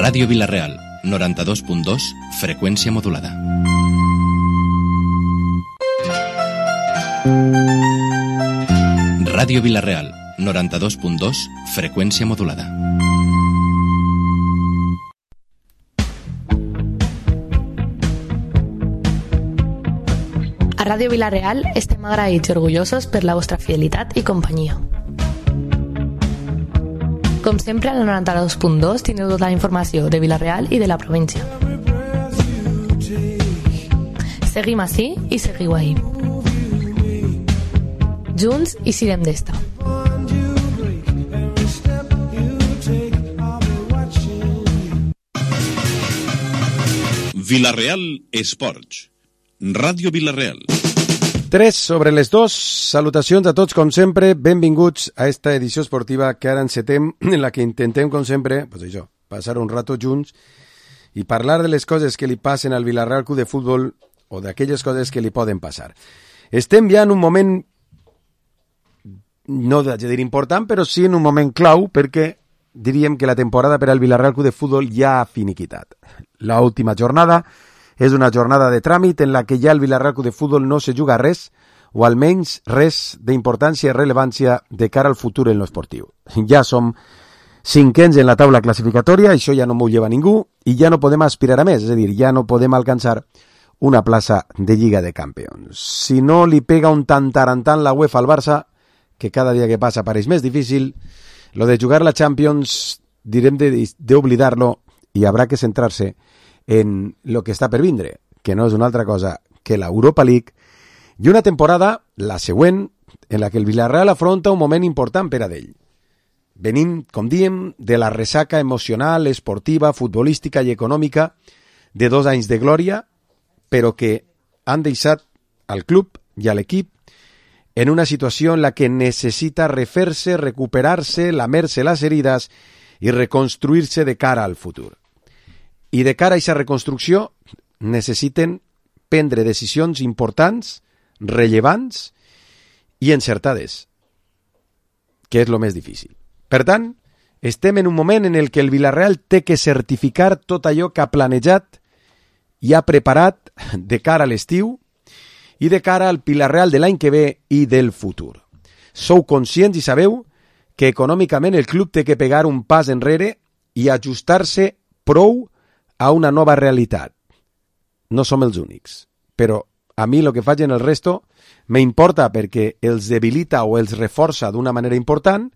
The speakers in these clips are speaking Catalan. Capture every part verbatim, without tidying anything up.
Ràdio Vila-real, noranta-dos punt dos, freqüència modulada. Ràdio Vila-real, noranta-dos punt dos, freqüència modulada. A Ràdio Vila-real estem agraïts i orgullosos per la vostra fidelitat i companyia. Com sempre, al noranta-dos punt dos teniu tota la informació de Vila-real i de la província. Seguim ací i seguiu ahí. Junts i sirem d'esta. Vila-real Esports. Ràdio Vila-real. tres sobre les dos. Salutacions a tots, com sempre. Benvinguts a esta edició esportiva que ara encetem, en la que intentem, com sempre, pues això, passar un rato junts i parlar de les coses que li passen al Vila-real Club de Futbol o d'aquelles coses que li poden passar. Estem ja en un moment, no de dir important, però sí en un moment clau, perquè diríem que la temporada per al Vila-real Club de Futbol ja ha finiquitat. La última jornada és una jornada de tràmit en la que ja el Vila-real Club de Futbol no se juga res, o almenys res d'importància i rellevància de cara al futur en l'esportiu. Ja som cinquens en la taula classificatòria, això ja no m'ho lleva ningú, i ja no podem aspirar a més, és a dir, ja no podem alcançar una plaça de Lliga de Campions. Si no li pega un tantarantant la UEFA al Barça, que cada dia que passa pareix més difícil, lo de jugar la Champions direm d'oblidar-lo i habrà que centrar-se en lo que està per vindre, que no és una altra cosa que l'Europa League, i una temporada, la següent, en la que el Vila-real afronta un moment important per a d'ell. Venim, com diem, de la ressaca emocional, esportiva, futbolística i econòmica de dos anys de glòria, però que han deixat al club i a l'equip en una situació en la que necessita refer-se, recuperar-se, lamer-se les herides i reconstruir-se de cara al futur. I de cara a aquesta reconstrucció necessiten prendre decisions importants, rellevants i encertades, que és el més difícil. Per tant, estem en un moment en el que el Vila-real té que certificar tot allò que ha planejat i ha preparat de cara a l'estiu i de cara al Vila-real de l'any que ve i del futur. Sou conscients i sabeu que econòmicament el club té que pegar un pas enrere i ajustar-se prou a una nova realitat. No som els únics, però a mi el que faig en el resto m'importa perquè els debilita o els reforça d'una manera important,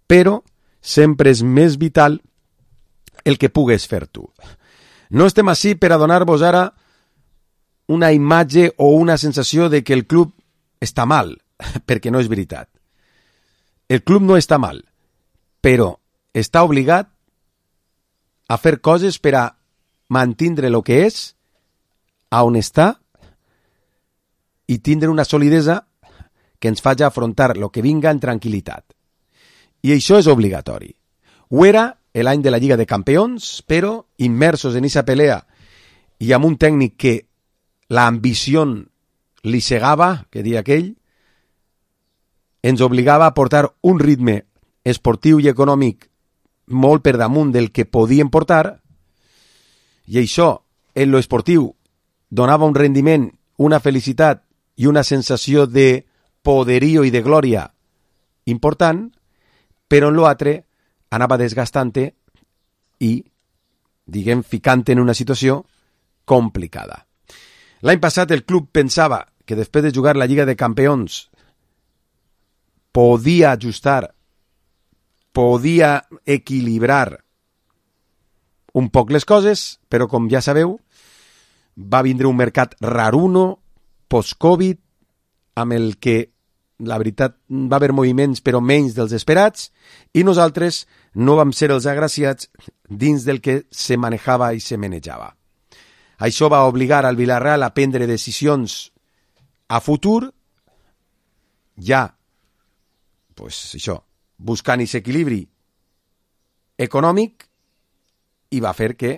però sempre és més vital el que pugues fer tu. No estem ací per a donar-vos ara una imatge o una sensació de que el club està mal, perquè no és veritat. El club no està mal, però està obligat a fer coses per a mantindre el que és, a on està, i tindre una solidesa que ens faci afrontar el que vinga en tranquil·litat. I això és obligatori. Ho era l'any de la Lliga de Campions, però immersos en aquesta pelea i amb un tècnic que l'ambició li cegava, que dia aquell, ens obligava a portar un ritme esportiu i econòmic molt per damunt del que podíem portar, i això, en lo esportiu, donava un rendiment, una felicitat i una sensació de poderío i de glòria important, però en l'altre anava desgastant-te i, diguem, ficant en una situació complicada. L'any passat el club pensava que després de jugar la Lliga de Campions podia ajustar, podia equilibrar un poc les coses, però com ja sabeu, va vindre un mercat raruno, post-Covid, amb el que, la veritat, va haver moviments però menys dels esperats, i nosaltres no vam ser els agraciats dins del que se manejava i se manejava. Això va obligar al Vila-real a prendre decisions a futur, ja, pues això, buscant aquest equilibri econòmic, i va fer que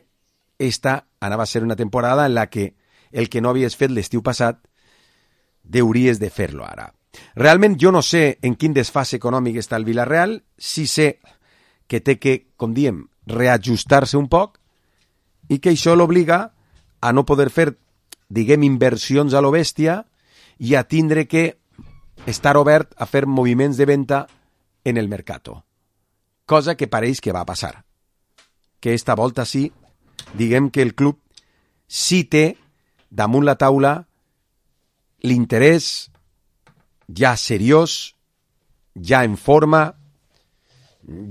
esta anava a ser una temporada en la que el que no havies fet l'estiu passat deuries de fer-lo ara. Realment jo no sé en quin desfàs econòmic està el Vila-real, sí sé que té que, com diem, reajustar-se un poc, i que això l'obliga a no poder fer, diguem, inversions a lo bèstia i a tindre que estar obert a fer moviments de venda en el mercato. Cosa que pareix que va passar. Que esta volta sí, diguem que el club sí té damunt la taula l'interès ja seriós, ja en forma,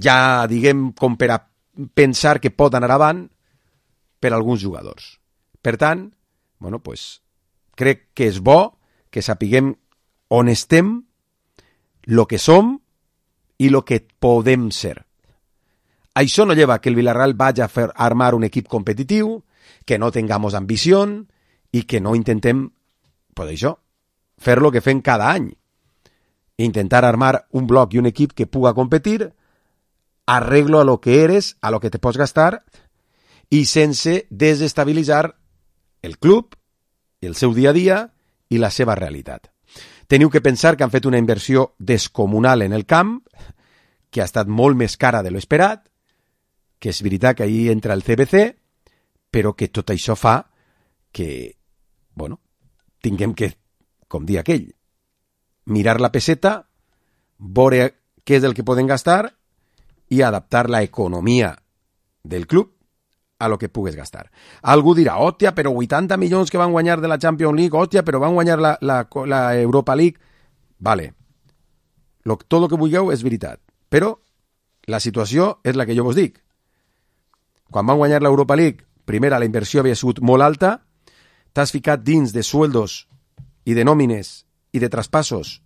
ja, diguem, com per a pensar que pot anar avant per a alguns jugadors. Per tant, bueno, pues, crec que és bo que sapiguem on estem, lo que som i lo que podem ser. Això no lleva que el Villarreal vagi a fer armar un equip competitiu, que no tengamos ambició i que no intentem, pues això, fer lo que fem cada any. Intentar armar un bloc i un equip que puga competir, arreglo a lo que eres, a lo que te pots gastar, i sense desestabilitzar el club, el seu dia a dia i la seva realitat. Teniu que pensar que han fet una inversió descomunal en el camp, que ha estat molt més cara de lo esperat, que és veritat que ahí entra el C B C, però que tot això fa que, bueno, tinguem que, com dir aquell, mirar la peseta, veure què és el que podem gastar i adaptar la economia del club a lo que pugues gastar. Algú dirà, hòstia, però vuitanta milions que van guanyar de la Champions League, hòstia, però van guanyar la, la, la Europa League. Vale, lo, tot el que vulgueu és veritat, però la situació és la que jo vos dic. Quan van guanyar l'Europa League, primera, la inversió havia sigut molt alta, t'has ficat dins de sueldos i de nòmines i de traspassos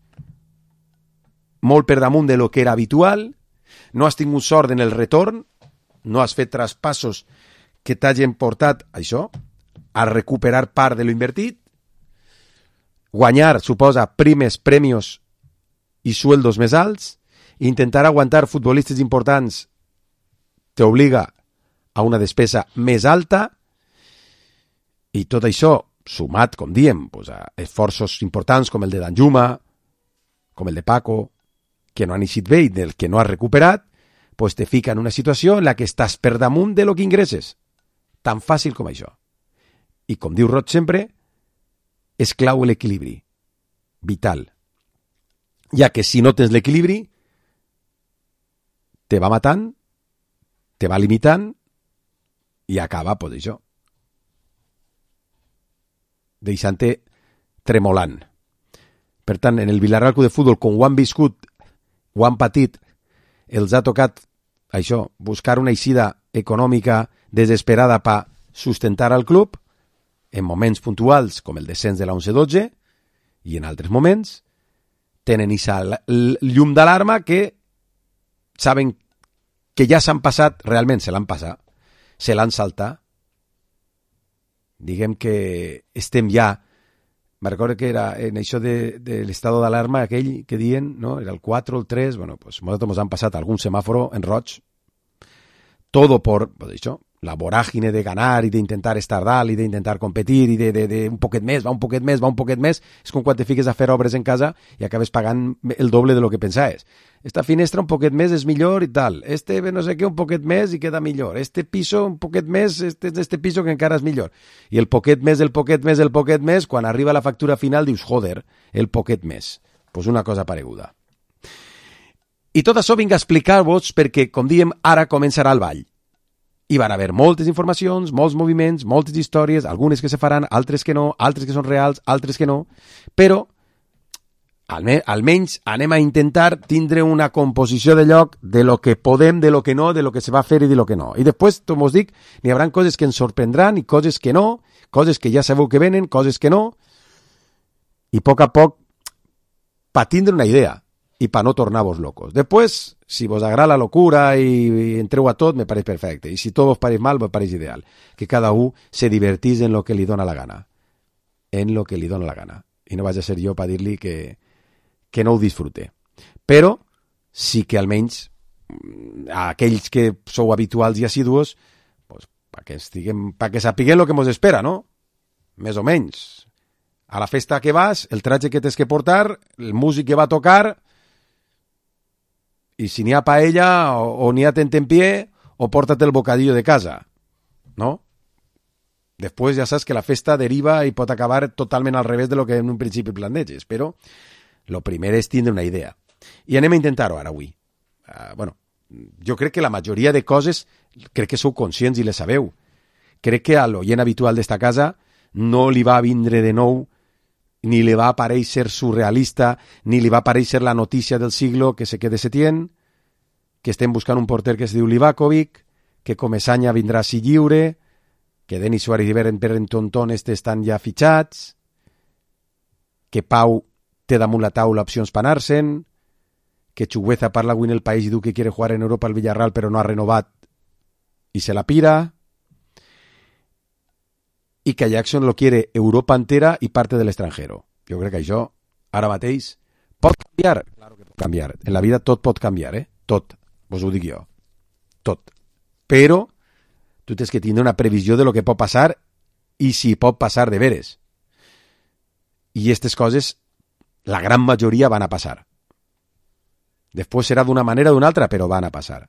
molt per damunt de lo que era habitual, no has tingut sort en el retorn, no has fet traspassos que t'hagin portat això, a recuperar part de lo invertit, guanyar suposa primes, premios i sueldos més alts, intentar aguantar futbolistes importants t'obliga a una despesa més alta, i tot això sumat, com diem, pues, a esforços importants com el de Danjuma, com el de Paco, que no han eixit bé i del que no has recuperat, pues te fica en una situació en la que estàs per damunt de lo que ingresses. Tan fàcil com això. I com diu Roig sempre, és clau l'equilibri. Vital. Ja que si no tens l'equilibri, te va matant, te va limitant i acaba, pues això, deixant-te tremolant. Per tant, en el Villarreal Club de Futbol, com ho han viscut, ho han patit, els ha tocat això, buscar una eixida econòmica desesperada per sustentar al club, en moments puntuals com el descens de la onze dotze, i en altres moments tenen esa llum d'alarma que saben que ja s'han passat, realment se l'han passat, se l'han saltat. Diguem que estem ja, me recordo que era en això de, de l'estado d'alarma aquell que diuen, no? Era el quatre o el tres, bueno, pues nosaltres ens han passat algun semàforo en roig, todo por, pues això, la vorágine de ganar i d'intentar estar dalt i d'intentar competir i de, de, de un poquet més, va un poquet més, va un poquet més, és com quan te fiques a fer obres en casa i acabes pagant el doble de lo que pensaves. Esta finestra un poquet més és millor i tal, este no sé què un poquet més i queda millor, este piso un poquet més, este este piso que encara és millor. I el poquet més, el poquet més, el poquet més, quan arriba la factura final dius, joder, el poquet més. Pues una cosa pareguda. I tot això vinc a explicar-vos perquè, com diem, ara començarà el ball. Hi van haver moltes informacions, molts moviments, moltes històries, algunes que se faran, altres que no, altres que són reals, altres que no, però alme almenys anem a intentar tindre una composició de lloc de lo que podem, de lo que no, de lo que se va fer i de lo que no. I després, com us dic, n'hi haurà coses que ens sorprendran i coses que no, coses que ja sabeu que venen, coses que no, i a poc a poc, per tindre una idea i per no tornar-vos locos. Després, si vos agrada la locura i, i entreu a tot, me pareix perfecte. I si tot vos pareix mal, me pareix ideal. Que cada un se divertís en lo que li dona la gana. En lo que li dona la gana. I no vaig a ser jo per dir-li que, que no ho disfrute. Però sí que almenys a aquells que sou habituals i assidus, pues, perquè estiguem, perquè sapiguem el que mos espera, no? Més o menys. A la festa que vas, el tratge que tens que portar, el músic que va a tocar, i si n'hi ha paella o, o n'hi ha tentempié, o pórtate el bocadillo de casa, no? Després ja saps que la festa deriva i pot acabar totalment al revés de lo que en un principi planteges, però lo primer és tindre una idea. I anem a intentar-ho ara avui. Uh, bueno, jo crec que la majoria de coses crec que sou conscients i les sabeu. Crec que a l'oient habitual d'esta casa no li va vindre de nou, ni li va aparèixer surrealista, ni li va aparèixer la notícia del siglo que se quede Setién, que estem buscant un porter que es diu Livakovic, que Comesaña vindrà si lliure, que Denis Suárez i Berren Tonton estan ja fitxats, que Pau té damunt la taula opcions per anar-se'n, que Chugueza parla avui en El País i diu que quiere jugar en Europa al Villarreal però no ha renovat i se la pira, i que Jackson lo quiere Europa entera i parte del extranjero. Jo crec que això, ara mateix, pot canviar. Claro que pot canviar. En la vida tot pot canviar, eh? Tot. Vos ho dic jo. Tot. Però tu tens que tindre una previsió de lo que pot passar i si pot passar de veres. I aquestes coses, la gran majoria van a passar. Després serà d'una manera o d'una altra, però van a passar.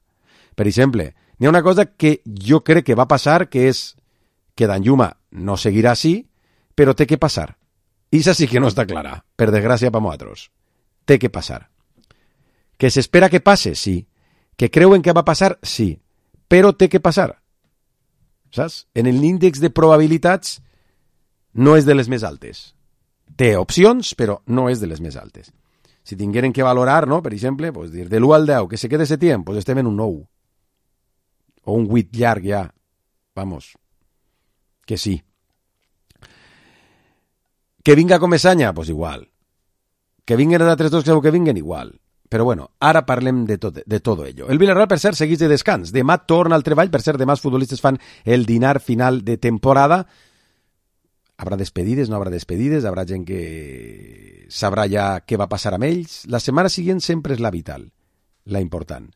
Per exemple, n'hi ha una cosa que jo crec que va passar, que és que Danjuma no seguirà així, però té que passar. I això sí que no està clara, per desgràcia per nosaltres. Té que passar. Que s'espera que passe? Sí. Que creuen que va passar? Sí. Però té que passar. Saps? En l'índex de probabilitats no és de les més altes. Té opcions, però no és de les més altes. Si tingueren que valorar, no? Per exemple, pues dir de l'u al deu, que se quede Setién, pues estem en un nou. O un vuit llarg ja. Vamos. Que sí. Que vinga Comesaña, pues igual. Que vinguen d'altres dos, que vinguen igual. Però bueno, ara parlem de tot, de todo ello. El Villarreal, per cert, segueix de descans. Demà torna al treball. Per cert, demà els futbolistes fan el dinar final de temporada. Habrà despedides, no habrà despedides, habrà gent que sabrà ja què va passar amb ells. La setmana següent sempre és la vital, la important.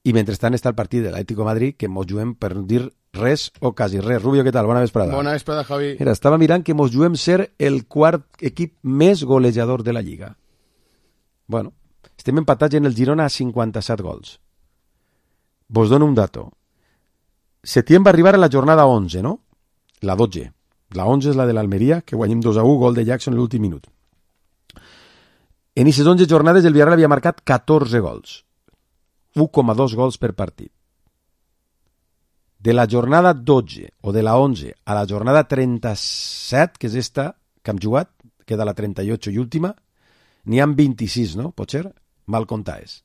I mentrestant està el partit de l'Atlético de Madrid, que mos juguem per dir res o quasi res. Rubio, què tal? Bona vesprada. Bona vesprada, Javi. Mira, estava mirant que mos juguem ser el quart equip més golejador de la Lliga. Bueno, estem empatats en el Girona a cinquanta-set gols. Vos dono un dato. Setién va arribar a la jornada onze, no? La dotze. La onze és la de l'Almeria, que guanyem dos a u, gol de Jackson en l'últim minut. En aquestes onze jornades el Villarreal havia marcat catorze gols. un coma dos gols per partit. De la jornada dotze o de la onze a la jornada trenta-set, que és esta que hem jugat, queda la trenta-ocho i última, n'hi ha vint-i-sis, no? Pot ser? Mal comptaes.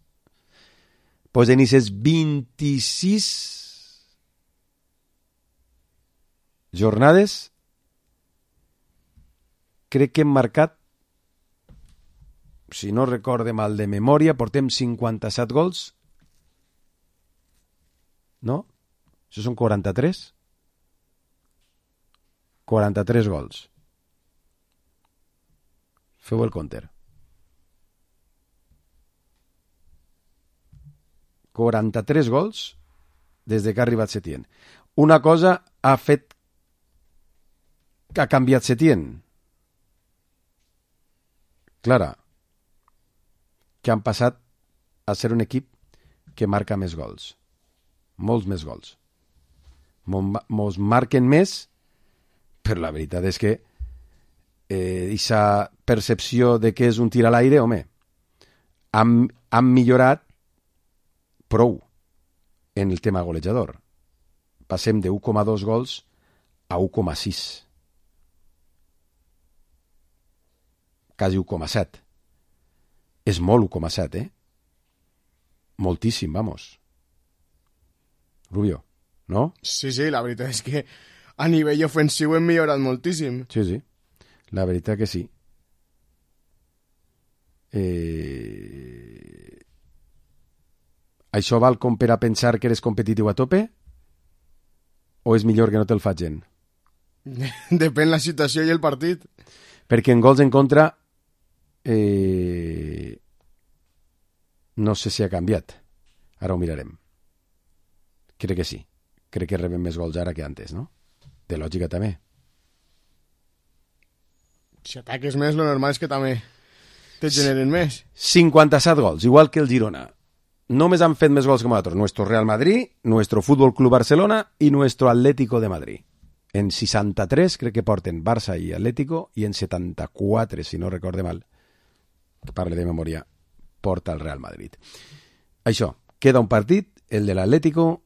Pues en aquestes vint-i-sis jornades crec que hem marcat, si no recorde mal de memòria, portem cinquanta-set gols, no? Això són quaranta-tres? quaranta-tres gols. Feu el compte. quaranta-tres gols des de que ha arribat Setién. Una cosa ha fet que ha canviat Setién. Clara, que han passat a ser un equip que marca més gols. Molts més gols. Mos marquen més, però la veritat és que eh, aquesta percepció de que és un tir a l'aire, home, han, han millorat prou en el tema golejador. Passem de u coma dos gols a u coma sis. Quasi u coma set. És molt u coma set, eh? Moltíssim, vamos. Rubio, no? Sí, sí, la veritat és que a nivell ofensiu hem millorat moltíssim. Sí, sí, la veritat que sí. Eh... Això val com per a pensar que eres competitiu a tope? O és millor que no te'l facin? Depèn la situació i el partit. Perquè en gols en contra eh... no sé si ha canviat. Ara ho mirarem. Crec que sí. Crec que rebem més gols ara que antes, no? De lògica també. Si ataques més, lo normal és que també te generen més. cinquanta-set gols, igual que el Girona. només han fet més gols que nosaltres. Nuestro Real Madrid, nuestro Fútbol Club Barcelona y nuestro Atlético de Madrid. En seixanta-tres crec que porten Barça i Atlético i en setanta-quatre, si no recorde mal, que parle de memòria, porta el Real Madrid. Això, queda un partit, el de l'Atlético,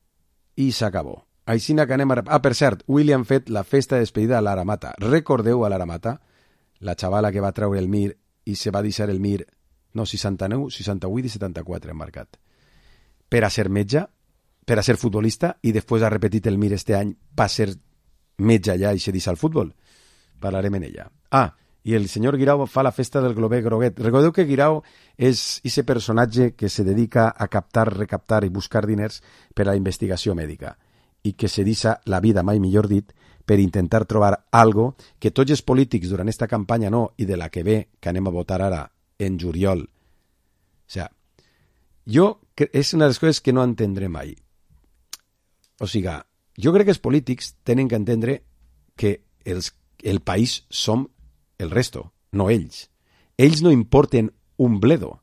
i s'acabó. Aixina que anem a... Ah, per cert, avui han fet la festa de despedida a l'Ara Mata. Recordeu a l'Ara Mata, la xavala que va treure el Mir i se va deixar el Mir, no, seixanta-nou, seixanta-vuit i setanta-quatre han marcat. Per a ser metge, per a ser futbolista, i després ha repetit el Mir este any per ser metge allà i se deixa el futbol. Parlarem en ella. Ah, i el senyor Guirao fa la festa del Globet Groguet. Recordeu que Guirao és ese personatge que se dedica a captar, recaptar i buscar diners per a la investigació mèdica i que se deixa la vida, mai millor dit, per intentar trobar algo que tots els polítics durant esta campanya no, i de la que ve, que anem a votar ara en juliol. O sea, jo, és una de les coses que no entendré mai. O sigui, jo crec que els polítics tenen que entendre que els, el país som el resto, no ells. Ells no importen un bledo.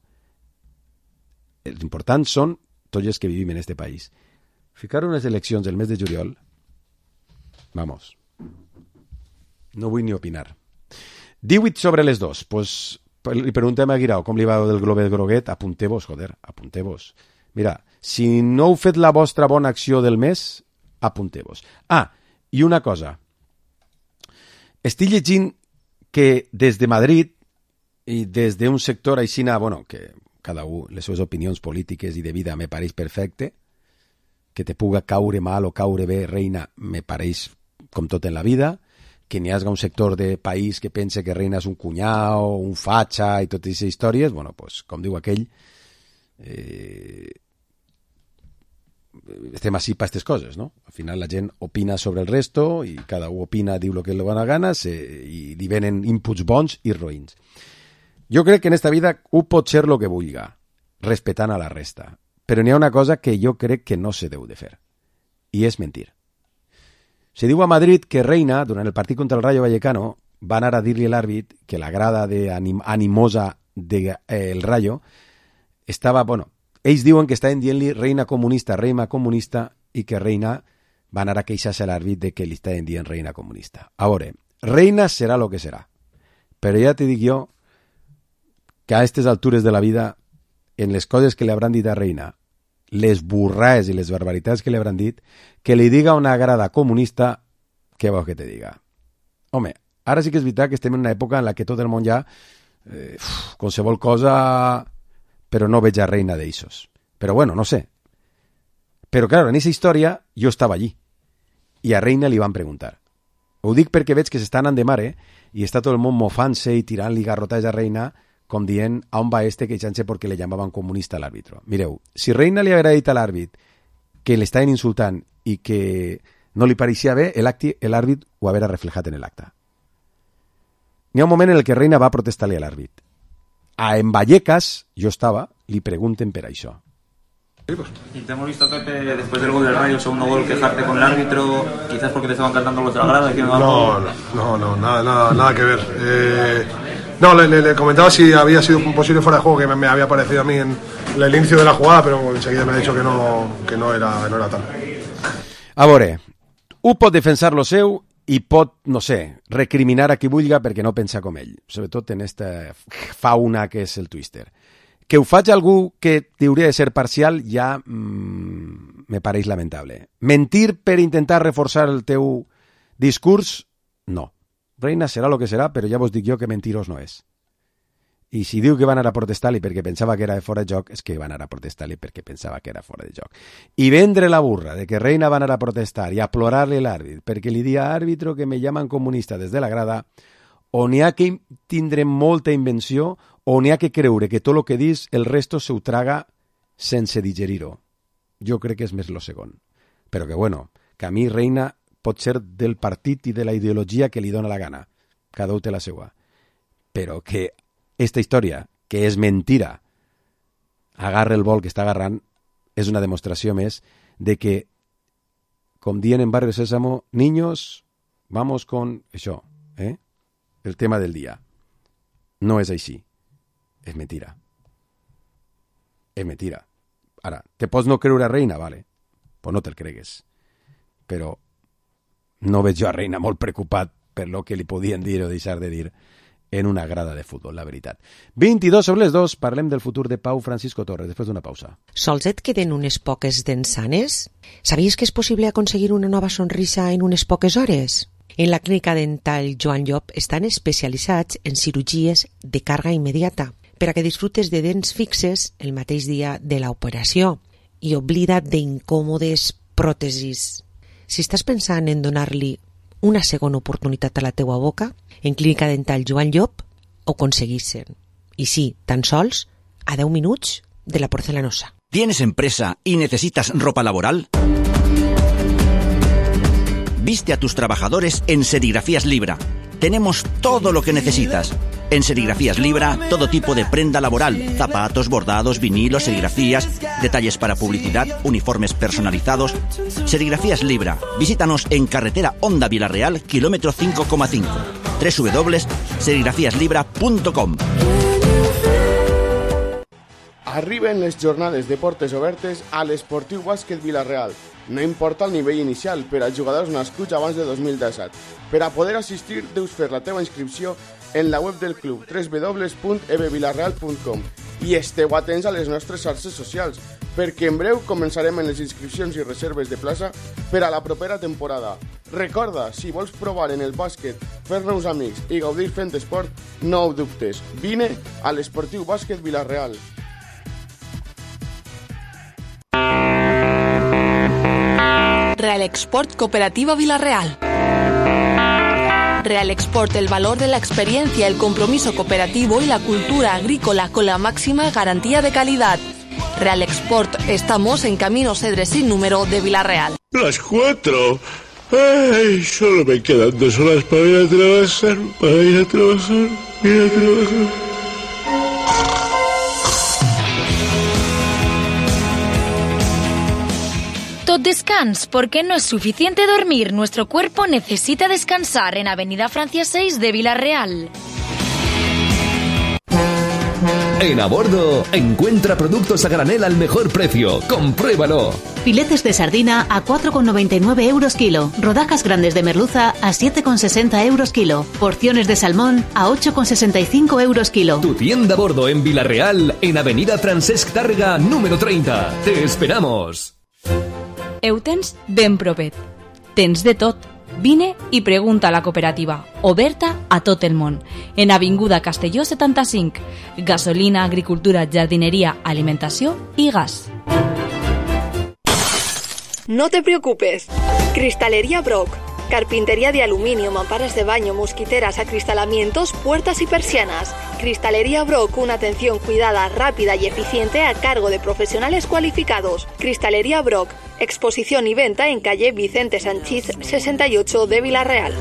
Els importants són tots els que vivim en este país. Ficar unes eleccions el mes de juliol, vamos, no vull ni opinar. divuit sobre les dos, pues li preguntem a Guirao com li va del Globet Groguet, apunteu-vos, joder, apunteu-vos. Mira, si no heu fet la vostra bona acció del mes, apunteu-vos. Ah, i una cosa, estic llegint que des de Madrid i des d'un sector aixina, bueno, que cada un, les seves opinions polítiques i de vida me pareix perfecte, que te puga caure mal o caure bé, reina, me pareix com tot en la vida, que n'hi hagi un sector de país que pense que reina és un cunyau, un fatxa i totes aquestes històries, bueno, pues, com diu aquell, eh, estem així per aquestes coses, no? Al final la gent opina sobre el resto i cada un opina, diu el que li dona gana se, i li venen inputs bons i roïns. Jo crec que en esta vida un pot ser el que vulga, respetant a la resta. Però n'hi ha una cosa que jo crec que no se deu de fer, i és mentir. Se diu a Madrid que Reina, durant el partit contra el Rayo Vallecano, va anar a dir-li a l'àrbit que la grada de anim animosa del de, eh, Rayo estava, bueno, ells diuen que estaven dient-li reina comunista, reina comunista, i que Reina va anar a queixar-se a l'àrbit de que li estaven dient reina comunista. A veure, Reina serà el que serà, però ja te dic jo que a aquestes altures de la vida, en les coses que li hauran dit a Reina, les burrades i les barbaritats que li hauran dit, que li diga una grada comunista, què vols que te diga? Home, ara sí que és veritat que estem en una època en la que tot el món ja, eh, uf, qualsevol cosa, però no veig a Reina d'eixos. Però bueno, no sé. Però clar, en aquesta història jo estava allí, i a Reina li van preguntar. Ho dic perquè veig que s'estan anant de mare, i està tot el món mofant-se i tirant-li garrotats a Reina, com dient a on va este queixant-se perquè le llamaven comunista a l'àrbitro. Mireu, si Reina li haguera dit a l'àrbit que l'estaven insultant i que no li pareixia bé, l'àrbit ho haguera reflejat en l'acte. N'hi ha un moment en el que Reina va protestar-li a l'àrbit. A en Vallecas, jo estava, li pregunten per això. Y te hemos visto, Pepe, después del gol del Rayo, el segundo gol, quejarte con el árbitro, quizás porque te estaban cantando los de la grada, diciendo algo. No, no, no, nada, nada, nada que ver. Eh, no, le, le, le comentaba si había sido un posible fuera de juego que me, me había parecido a mí en, en el inicio de la jugada, pero enseguida me ha dicho que no, que no era, no era tal. A veure, un pot defensar lo seu i pot, no sé, recriminar a qui vulga perquè no pensa com ell, sobretot en esta fauna que és el Twister. Que ho faig algú que hauria de ser parcial ja mmm, me pareix lamentable. Mentir per intentar reforçar el teu discurs, no. Reina serà el que serà, però ja vos dic jo que mentirós no és. I si diu que va anar a protestar-li perquè pensava que era de fora de joc, és que va anar a protestar-li perquè pensava que era fora de joc. I vendre la burra de que Reina va anar a protestar i a plorar-li l'àrbit perquè li dia àrbitro que me llaman comunista des de la grada, o n'hi ha que tindre molta invenció o n'hi ha que creure que tot el que dis el resto se ho traga sense digerir-ho. Jo crec que és més lo segon. Però que bueno, que a mi Reina pot ser del partit i de la ideologia que li dona la gana. Cada un té la seva. Però que esta història, que és mentira, agarra el vol que està agarrant, és una demostració més de que, com dient en Barrio Sésamo, niños, vamos con això, eh? El tema del dia. No és així. És mentira. És mentira. Ara, te pots no creure a Reina, vale, pues no te'l cregues. Però no veig jo a Reina molt preocupat per lo que li podien dir o deixar de dir en una grada de futbol, la veritat. vint-i-dos sobre les dos, parlem del futur de Pau Francisco Torres, després d'una pausa. Sols et queden unes poques dents sanes? Sabies que és possible aconseguir una nova sonrisa en unes poques hores? En la clínica dental Joan Llop estan especialitzats en cirurgies de càrrega immediata per a que disfrutes de dents fixes el mateix dia de l'operació i oblida't d'incòmodes pròtesis. Si estàs pensant en donar-li una segona oportunitat a la teua boca, en Clínica Dental Joan Llop ho aconseguissin. I sí, tan sols a deu minuts de la porcelanosa. ¿Tienes empresa y necesitas ropa laboral? Viste a tus trabajadores en Serigrafías Libra. Tenemos todo lo que necesitas. En Serigrafías Libra, todo tipo de prenda laboral, zapatos, bordados, vinilos, serigrafías, detalles para publicidad, uniformes personalizados. Serigrafías Libra. Visítanos en carretera Honda Vilareal, kilómetro cinco coma cinco. doble u doble u doble u punt serigrafías libra punt com. Arriben les jornades de portes obertes a l'Esportiu Bàsquet Vila-real. No importa el nivell inicial per als jugadors nascuts abans de dos mil disset. Per a poder assistir, deus fer la teva inscripció en la web del club doble u doble u doble u punt e b vilareal punt com i esteu atents a les nostres xarxes socials, perquè en breu començarem en les inscripcions i reserves de plaça per a la propera temporada. Recorda, si vols provar en el bàsquet, fer-nos amics i gaudir fent esport, no ho dubtes. Vine a l'Esportiu Bàsquet Vila-real. Real Export Cooperativa Vila-real. Real Export, el valor de la experiencia, el compromiso cooperativo y la cultura agrícola con la máxima garantía de calidad. Real Export, estamos en Camino Cedres sin número de Vila-real. Las cuatro. Ay, solo me quedan dos horas para ir a trabajar, para ir a trabajar, ir a trabajar. Tot descans, porque no es suficiente dormir. Nuestro cuerpo necesita descansar en Avenida Francia seis de Vila-real. En A Bordo, encuentra productos a granel al mejor precio. ¡Compruébalo! Filetes de sardina a cuatro con noventa y nueve euros kilo. Rodajas grandes de merluza a siete con sesenta euros kilo. Porciones de salmón a ocho con sesenta y cinco euros kilo. Tu tienda A Bordo en Vila-real, en Avenida Francesc Tàrrega, número treinta. ¡Te esperamos! Ho tens ben propet. Tens de tot. Vine i pregunta a la cooperativa, oberta a tot el món. En Avinguda Castelló setanta-cinc. Gasolina, agricultura, jardineria, alimentació i gas. No te preocupes. Cristalería Brock. Carpintería de aluminio, mamparas de baño, mosquiteras, acristalamientos, puertas y persianas. Cristalería Brock, una atención cuidada, rápida y eficiente a cargo de profesionales cualificados. Cristalería Brock, exposición y venta en calle Vicente Sanchís sesenta y ocho de Vila-real.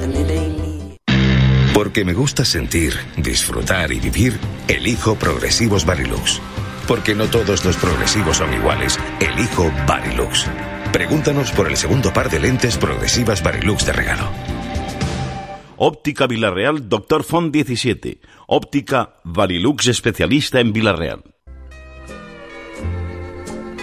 Porque me gusta sentir, disfrutar y vivir, elijo Progresivos Varilux. Porque no todos los progresivos son iguales, elijo Varilux. Pregúntanos por el segundo par de lentes progresivas Varilux de regalo. Óptica Vila-real, Doctor Font diecisiete. Óptica Varilux, especialista en Vila-real.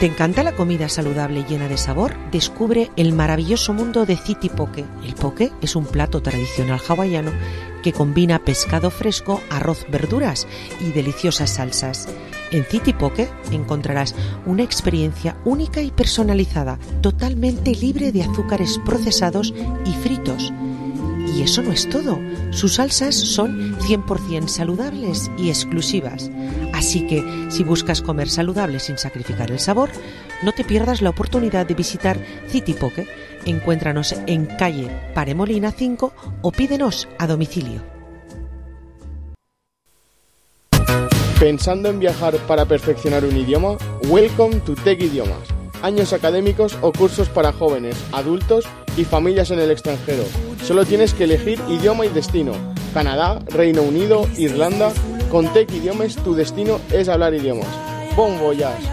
¿Te encanta la comida saludable llena de sabor? Descubre el maravilloso mundo de City Poke. El poke es un plato tradicional hawaiano que combina pescado fresco, arroz, verduras y deliciosas salsas. En City Poke encontrarás una experiencia única y personalizada, totalmente libre de azúcares procesados y fritos. Y eso no es todo. Sus salsas son cien por ciento saludables y exclusivas. Así que, si buscas comer saludable sin sacrificar el sabor, no te pierdas la oportunidad de visitar City Poke. Encuéntranos en calle Paremolina cinco o pídenos a domicilio. ¿Pensando en viajar para perfeccionar un idioma? Welcome to Tech Idiomas. Años académicos o cursos para jóvenes, adultos y familias en el extranjero. Solo tienes que elegir idioma y destino. Canadá, Reino Unido, Irlanda. Con Tech Idiomes tu destino és hablar idiomes. Bon voyage!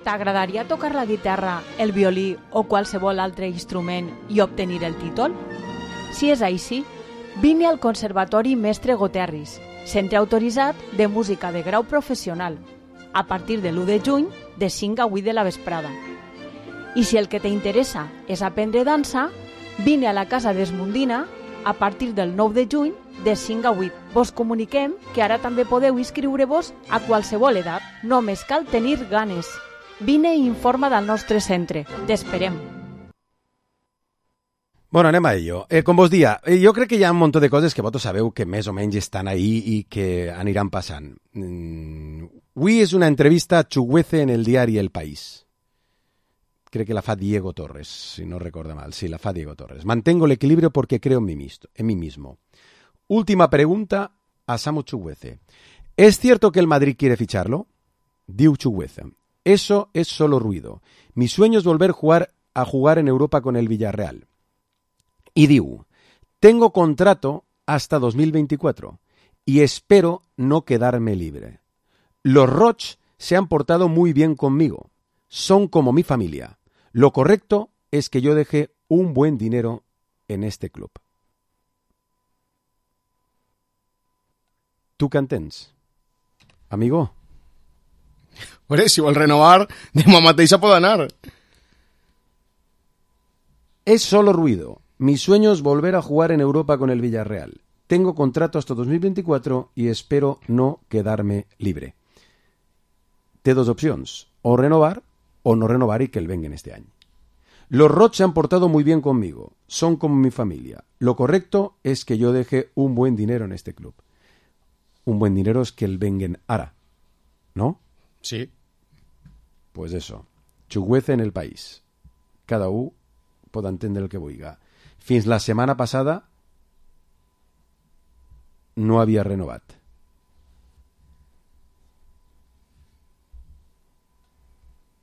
T'agradaria tocar la guitarra, el violí o qualsevol altre instrument i obtenir el títol? Si és així, vine al Conservatori Mestre Goterris, centre autoritzat de música de grau professional. a partir de l'u de juny de cinc a vuit de la vesprada. I si el que t'interessa és aprendre dansa, vine a la Casa d'Esmundina a partir del nou de juny de cinc a vuit. Vos comuniquem que ara també podeu inscriure-vos a qualsevol edat. Només cal tenir ganes. Vine i informa del nostre centre. T'esperem. Bueno, anem a ello. Eh, com vos dia, eh, jo crec que hi ha un munt de coses que vosaltres sabeu que més o menys estan ahí i que aniran passant. Mm, avui és una entrevista a Chukwueze en el diari El País. Creo que la fa Diego Torres, si no recuerdo mal. Sí, la fa Diego Torres. Mantengo el equilibrio porque creo en mí, mismo, en mí mismo. Última pregunta a Samu Chukwueze. ¿Es cierto que el Madrid quiere ficharlo? Diu Chukwueze. Eso es solo ruido. Mi sueño es volver jugar a jugar en Europa con el Villarreal. Y diu, tengo contrato hasta dos mil veinticuatro y espero no quedarme libre. Los Roch se han portado muy bien conmigo. Son como mi familia. Lo correcto es que yo deje un buen dinero en este club. ¿Tú què entens, amigo? Hombre, si vol renovar, demà mateix pot anar. Es solo ruido. Mi sueño es volver a jugar en Europa con el Villarreal. Tengo contrato hasta dos mil veinticuatro y espero no quedarme libre. Té dos opcions, o renovar o no renovar y que él venga en este año. Los Roch se han portado muy bien conmigo, son como mi familia. Lo correcto es que yo deje un buen dinero en este club. Un buen dinero es que él venga ara, ¿no? Sí. Pues eso, Chukwueze en El País. Cada u pot entendre el que vulga. Fins la setmana passada no havia renovat.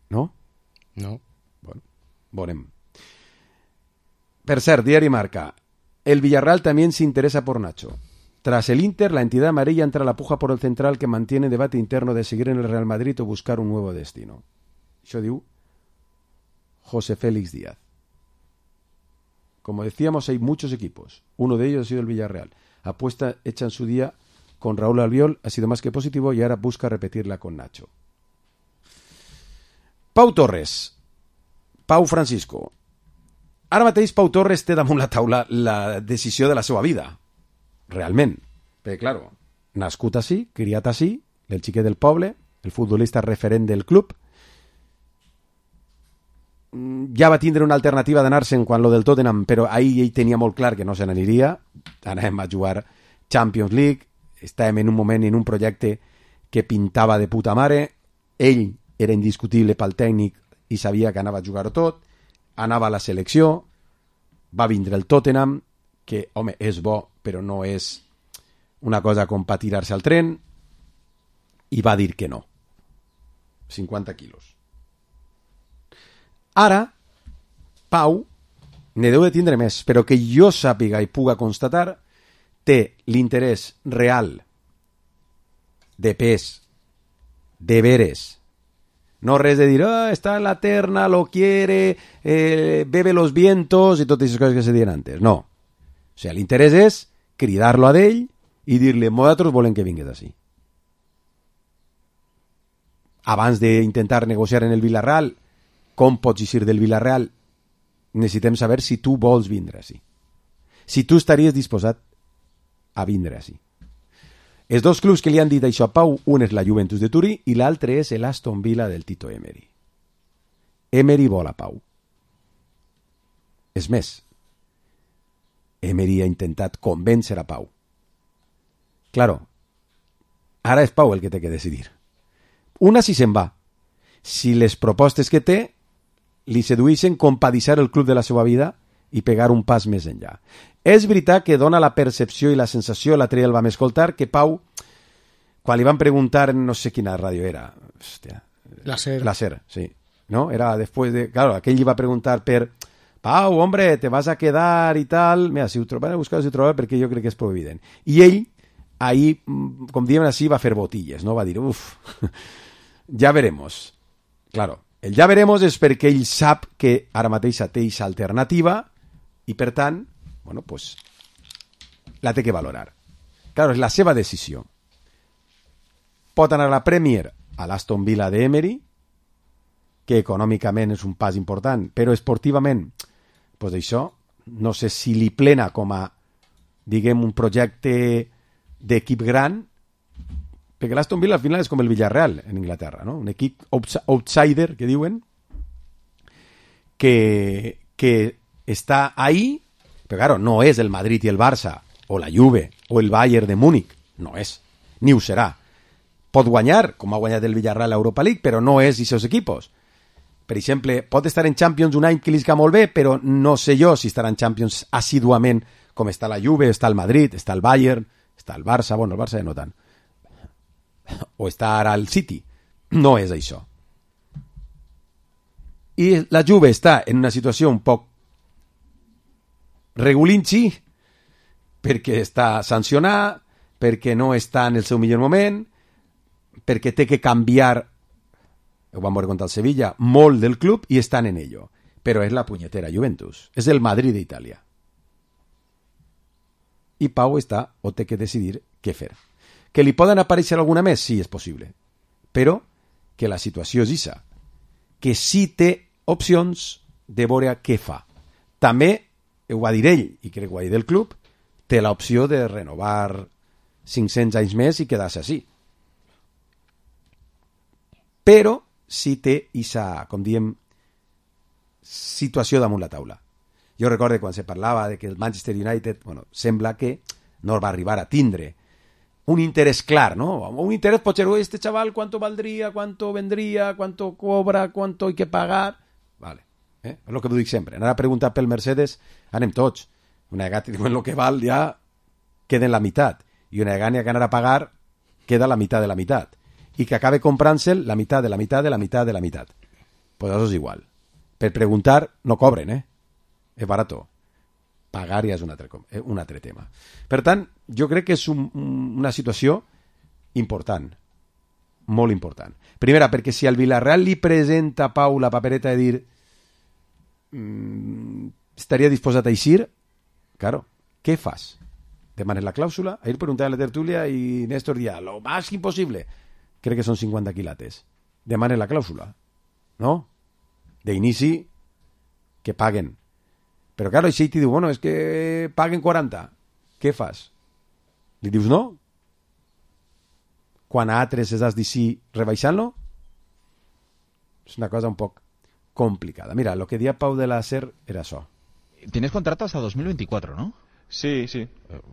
¿No? No. Bueno, veurem. Per cert, diari Marca. El Villarreal también se interesa por Nacho. Tras el Inter, la entidad amarilla entra a la puja por el central que mantiene debate interno de seguir en el Real Madrid o buscar un nuevo destino. Això diu José Félix Díaz. Como decíamos, hay muchos equipos. Uno de ellos ha sido el Villarreal. Apuesta hecha en su día con Raúl Albiol ha sido más que positivo y ahora busca repetirla con Nacho. Pau Torres. Pau Francisco. Ara mateix Pau Torres té damunt la taula la decisió de la seva vida. Realment. Perquè, claro, nascut així, criat així, el xiquet del poble, el futbolista referent del club, ja va tindre una alternativa d'anar-se'n quan lo del Tottenham, però ahir ell tenia molt clar que no se n'aniria. Anàvem a jugar Champions League, estàvem en un moment, en un projecte que pintava de puta mare, ell era indiscutible pel tècnic i sabia que anava a jugar tot, anava a la selecció, va vindre el Tottenham, que, home, és bo, però no és una cosa com per tirar-se al tren, i va dir que no. cinquanta quilos. Ara, Pau, ne deu de tindre més, però que jo sàpiga i puga constatar, té l'interès real de pes, de veres. No res de dir, oh, está en la terna, lo quiere, eh, bebe los vientos i totes aquestes coses que se diuen antes. No. O sea, l'interès és cridar-lo a d'ell i dir-li, nosaltres volem que vingues així. Abans d'intentar negociar en el Villarreal, com pots eixir del Villarreal, necessitem saber si tu vols vindre així. Si tu estaries disposat a vindre així. Els dos clubs que li han dit això a Pau, un és la Juventus de Turí i l'altre és l'Aston Villa del Tito Emery. Emery vol a Pau. És més, Emery ha intentat convèncer a Pau. Claro, ara és Pau el que té que decidir. Una si se'n va. Si les propostes que té li sedueixen com per deixar el club de la seva vida i pegar un pas més enllà. És veritat que dona la percepció i la sensació, l'altre dia el vam escoltar, que Pau, quan li van preguntar, no sé quina ràdio era, hòstia, la SER, la SER, sí, ¿no? Era después de, claro, aquell li va preguntar per, Pau, hombre, te vas a quedar i tal, mira, si ho trobaré, a buscar si ho trobaré, perquè jo crec que és prou evident. I ell, ahí, com diem així, va fer botilles, no? Va dir, uf, ja veremos. Claro, el ja veremos és perquè ell sap que ara mateix té aquesta alternativa i, per tant, bueno, pues, la té que valorar. Claro, és la seva decisió. Pot anar a la Premier a l'Aston Villa d'Emery, que econòmicament és un pas important, però esportivament, pues això, no sé si li plena com a, diguem, un projecte d'equip gran, perquè l'Aston Villa al final és com el Villarreal en Inglaterra, no? Un equip outsider, que diuen, que, que està ahí, però claro, no és el Madrid i el Barça, o la Juve, o el Bayern de Múnich, no és, ni ho serà. Pot guanyar, com ha guanyat el Villarreal a Europa League, però no és aquests equipos. Per exemple, pot estar en Champions un any que li esca molt bé, però no sé jo si estarà en Champions assiduament com està la Juve, està el Madrid, està el Bayern, està el Barça, bueno, el Barça ja no tant, o està ara el City. No és això. I la Juve està en una situació un poc regulinxi, perquè està sancionada, perquè no està en el seu millor moment, perquè té que canviar, ho vam veure contra el Sevilla, molt del club, i estan en ello. Però és la punyetera Juventus, és el Madrid d'Itàlia. I Pau està, o té que decidir què fer. Que li poden aparèixer alguna més? Sí, és possible. Però que la situació és issa, que sí té opcions de veure què fa. També, ho va dir ell, i crec que ho va dir del club, té l'opció de renovar cinc-cents anys més i quedar-se així. Però sí té issa, com diem, situació damunt la taula. Jo recordo quan se parlava de que el Manchester United, bueno, sembla que no va arribar a tindre un interés clar, ¿no? Un interés, potser, este chaval, ¿cuánto valdría? ¿Cuánto vendría? ¿Cuánto cobra? ¿Cuánto hay que pagar? Vale. Eh? És el que dic sempre. Anar a preguntar pel Mercedes, anem tots. Una vegada diuen el que val, ja queda en la meitat. I una vegada que anar a pagar, queda la meitat de la meitat. I que acabe comprant-se'l la meitat de la meitat de la meitat de la meitat. Pues això és igual. Per preguntar, no cobren, eh? És barato. Pagar ja és un altre, un altre tema. Per tant, jo crec que és un, una situació important, molt important. Primera, perquè si al Villarreal li presenta a Pau la papereta de dir mmm, estaria disposat a eixir, claro, què fas? Demanes la clàusula? Ahir preguntava a la tertúlia i Néstor dia, lo más imposible. Crec que són cinquanta quilates. Demanes la clàusula, no? D'inici, que paguen. Però, claro, així t'hi diu, bueno, és que paguen quaranta. Què fas? Li dius no? Quan a altres es has de sí rebaixant-lo? És una cosa un poc complicada. Mira, lo que dia Pau de la Ser era això. Tienes contrato hasta dos mil veinticuatro, ¿no? Sí, sí.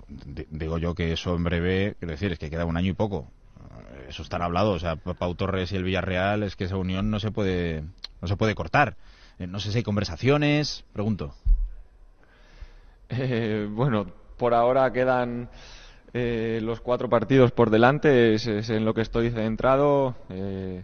D- digo yo que eso en breve, quiero decir, es que queda un año y poco. Eso está hablado, o sea, Pau Torres y el Villarreal, es que esa unión no se puede, no se puede cortar. Eh, no sé si hay conversaciones, pregunto. Eh, bueno, por ahora quedan eh, los cuatro partidos por delante, es, es en lo que estoy centrado. Eh,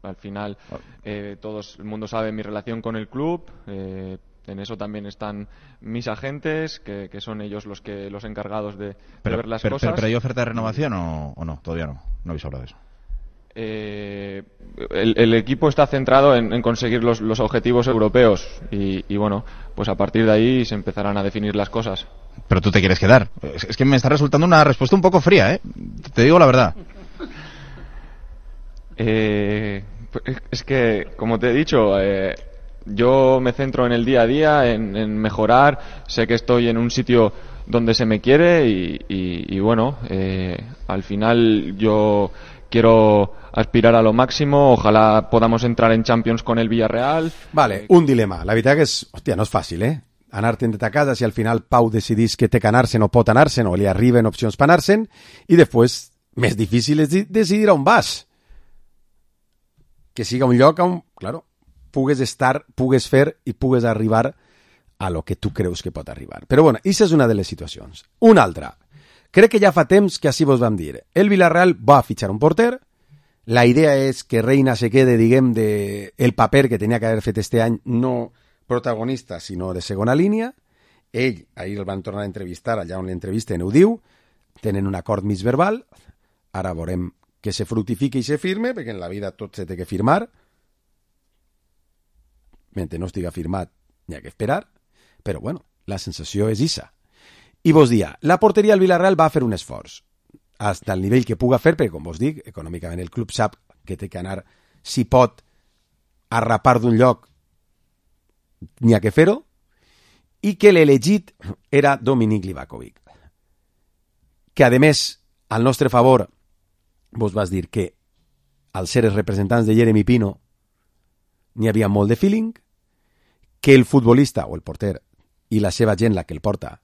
al final, eh, todos el mundo sabe mi relación con el club. Eh, en eso también están mis agentes, que, que son ellos los que los encargados de, Pero, de ver las pero, cosas. pero, pero ¿hay oferta de renovación o, o no? Todavía no. No habéis hablado de eso. Eh, el, el equipo está centrado en, en conseguir los, los objetivos europeos y, y bueno, pues a partir de ahí se empezarán a definir las cosas. Pero tú te quieres quedar. Es, es que me está resultando una respuesta un poco fría, ¿eh? Te digo la verdad. Eh, es que, como te he dicho, eh, yo me centro en el día a día, en, en mejorar. Sé que estoy en un sitio donde se me quiere y, y, y bueno, eh, al final yo quiero aspirar a lo máximo, ojalá podamos entrar en Champions con el Villarreal. Vale, un dilema. La veritat que és, hòstia, no és fàcil, eh? Anar-te'n de ta casa si al final Pau decidís que té que anar-se'n o pot anar-se'n o li arriben opcions per anar-se'n i després, més difícil és decidir on vas. Que siga un lloc on, claro, pugues estar, pugues fer i pugues arribar a lo que tu creus que pot arribar. Però bueno, aquesta és una de les situacions. Una altra. Crec que ja fa temps que així vos vam dir. El Villarreal va fitxar un porter. La idea és que Reina se quede, diguem, de el paper que tenia que haver fet este any, no protagonista, sinó de segona línia. Ell, ahir el van tornar a entrevistar, allà on l'entrevisten ho diu, tenen un acord mig verbal, ara veurem que se fructifique i se firme, perquè en la vida tot se té que firmar. Mentre no estiga firmat, n'hi ha que esperar, però bueno, la sensació és issa. I vos dia, la porteria del Villarreal va fer un esforç, hasta el nivell que puga fer, perquè com vos dic, econòmicament el club sap que té que anar, si pot, a rapar d'un lloc, n'hi ha que fer-ho, i que l'elegit era Dominic Livakovic. Que, a més, al nostre favor, vos vas dir que al ser els representants de Jeremy Pino n'hi havia molt de feeling, que el futbolista o el porter i la seva gent, la que el porta,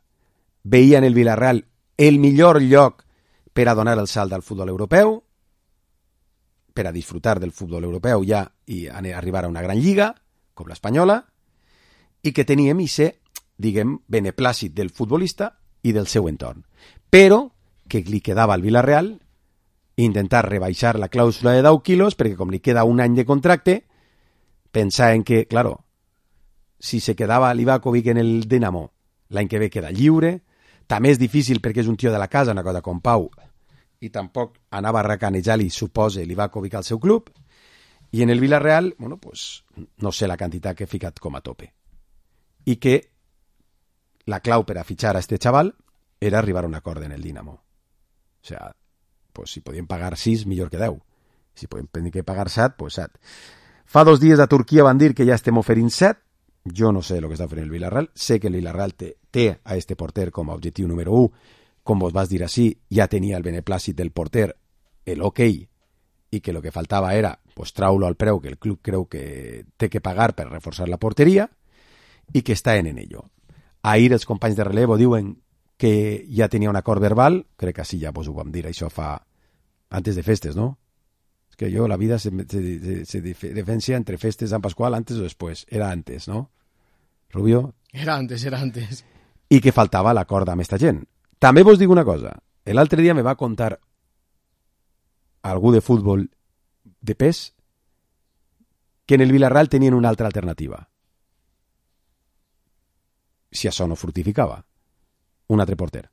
veien el Villarreal el millor lloc per a donar el salt al futbol europeu, per a disfrutar del futbol europeu ja i arribar a una gran lliga, com l'espanyola, i que teníem i ser, diguem, beneplàcit del futbolista i del seu entorn. Però que li quedava al Villarreal intentar rebaixar la clàusula de deu quilos, perquè com li queda un any de contracte, pensar en que, claro, si se quedava Livakovic en el Dinamo, l'any que ve queda lliure, també és difícil perquè és un tio de la casa, una cosa com Pau, i tampoc anava a racanejar-li, suposa, Livakovic al seu club, i en el Villarreal, bueno, pues, no sé la quantitat que he ficat com a tope. I que la clau per a fitxar a este xaval era arribar a un acord en el Dinamo. O sea, pues, si podien pagar sis, millor que deu. Si podem tenir que pagar set, pues set. Fa dos dies a Turquia van dir que ja estem oferint set. Jo no sé el que està fent el Villarreal. Sé que el Villarreal té, té a este porter com a objectiu número u. Com vos vas dir així, ja tenia el beneplàcit del porter, el ok, i que el que faltava era pues, traure al preu que el club creu que té que pagar per reforçar la porteria i que està en ello. Ahir els companys de relevo diuen que ja tenia un acord verbal, crec que sí, ja vos ho vam dir, això fa antes de festes, ¿no? Es que yo la vida se, se, se diferencia entre festes de San Pascual antes o después, era antes, ¿no? Rubio? Era antes, era antes. I que faltava l'acord amb esta gent. També vos dic una cosa, l'altre dia me va contar algú de futbol de pes que en el Villarreal tenien una altra alternativa. Si això no fructificava, un altre porter.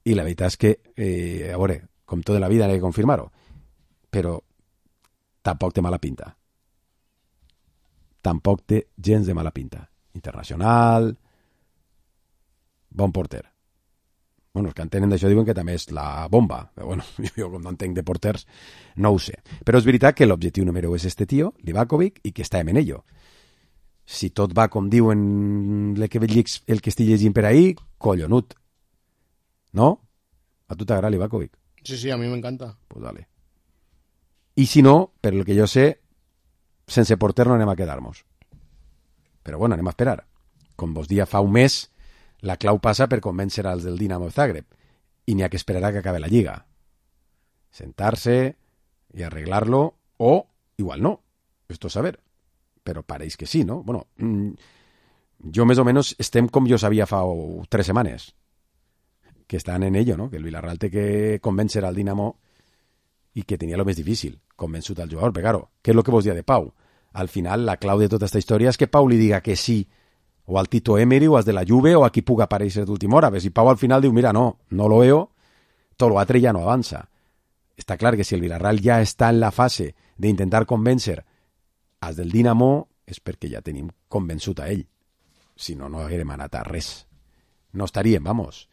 I la veritat és que, eh, a veure, com tota la vida n'he de confirmar-ho, però tampoc té mala pinta. Tampoc té gens de mala pinta. Internacional, bon porter. Bueno, els que entenen d'això diuen que també és la bomba. Però bueno, jo com no entenc de porters, no ho sé. Però és veritat que l'objectiu número u és este tio, Livakovic, i que està en ello. Si tot va com diuen el que, el que estic llegint per ahí, collonut. ¿No? ¿A tu t'agrada Livakovic? Sí, sí, a mí me encanta. Pues dale. I si no, per el que jo sé, sense porter no anem a quedar-nos. Però bueno, anem a esperar. Com vos dia fa un mes, la clau passa per convèncer als del Dinamo Zagreb i n'hi ha que esperar a que acabe la lliga. Sentar-se i arreglar-lo, o igual no. Esto es saber. Però pareix que sí, no? Bueno, jo més o menys estem com jo sabia fa tres setmanes, que estan en ello, no? Que el Villarreal té que convèncer al Dinamo i que tenia lo més difícil, convençut al jugador. Però, claro, què és lo que vos dia de Pau? Al final, la clau de tota aquesta història és que Pau li diga que sí, o al Tito Emery, o als de la Juve, o a qui puga aparèixer d'última hora. Però si Pau al final diu, mira, no, no lo veo, tot lo altre ja no avança. Està clar que si el Villarreal ja està en la fase d'intentar convèncer als del Dinamo, és perquè ja tenim convençut a ell. Si no, no haguérem anat a res. No estaríem, vamos,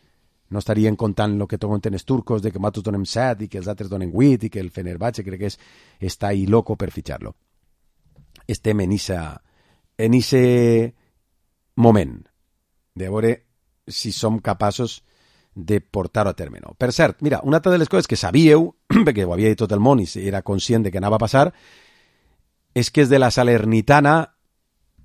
no estaríem contant el que conten els turcos de que nosaltres donem set i que els altres donen vuit i que el Fenerbahce crec que és, està ahí loco per fitxar-lo. Estem en ese en ese moment de veure si som capaços de portar-ho a terme. No. Per cert, mira, una altra de les coses que sabíeu, perquè ho havia dit tot el món i era conscient de que anava a passar, és que és de la Salernitana,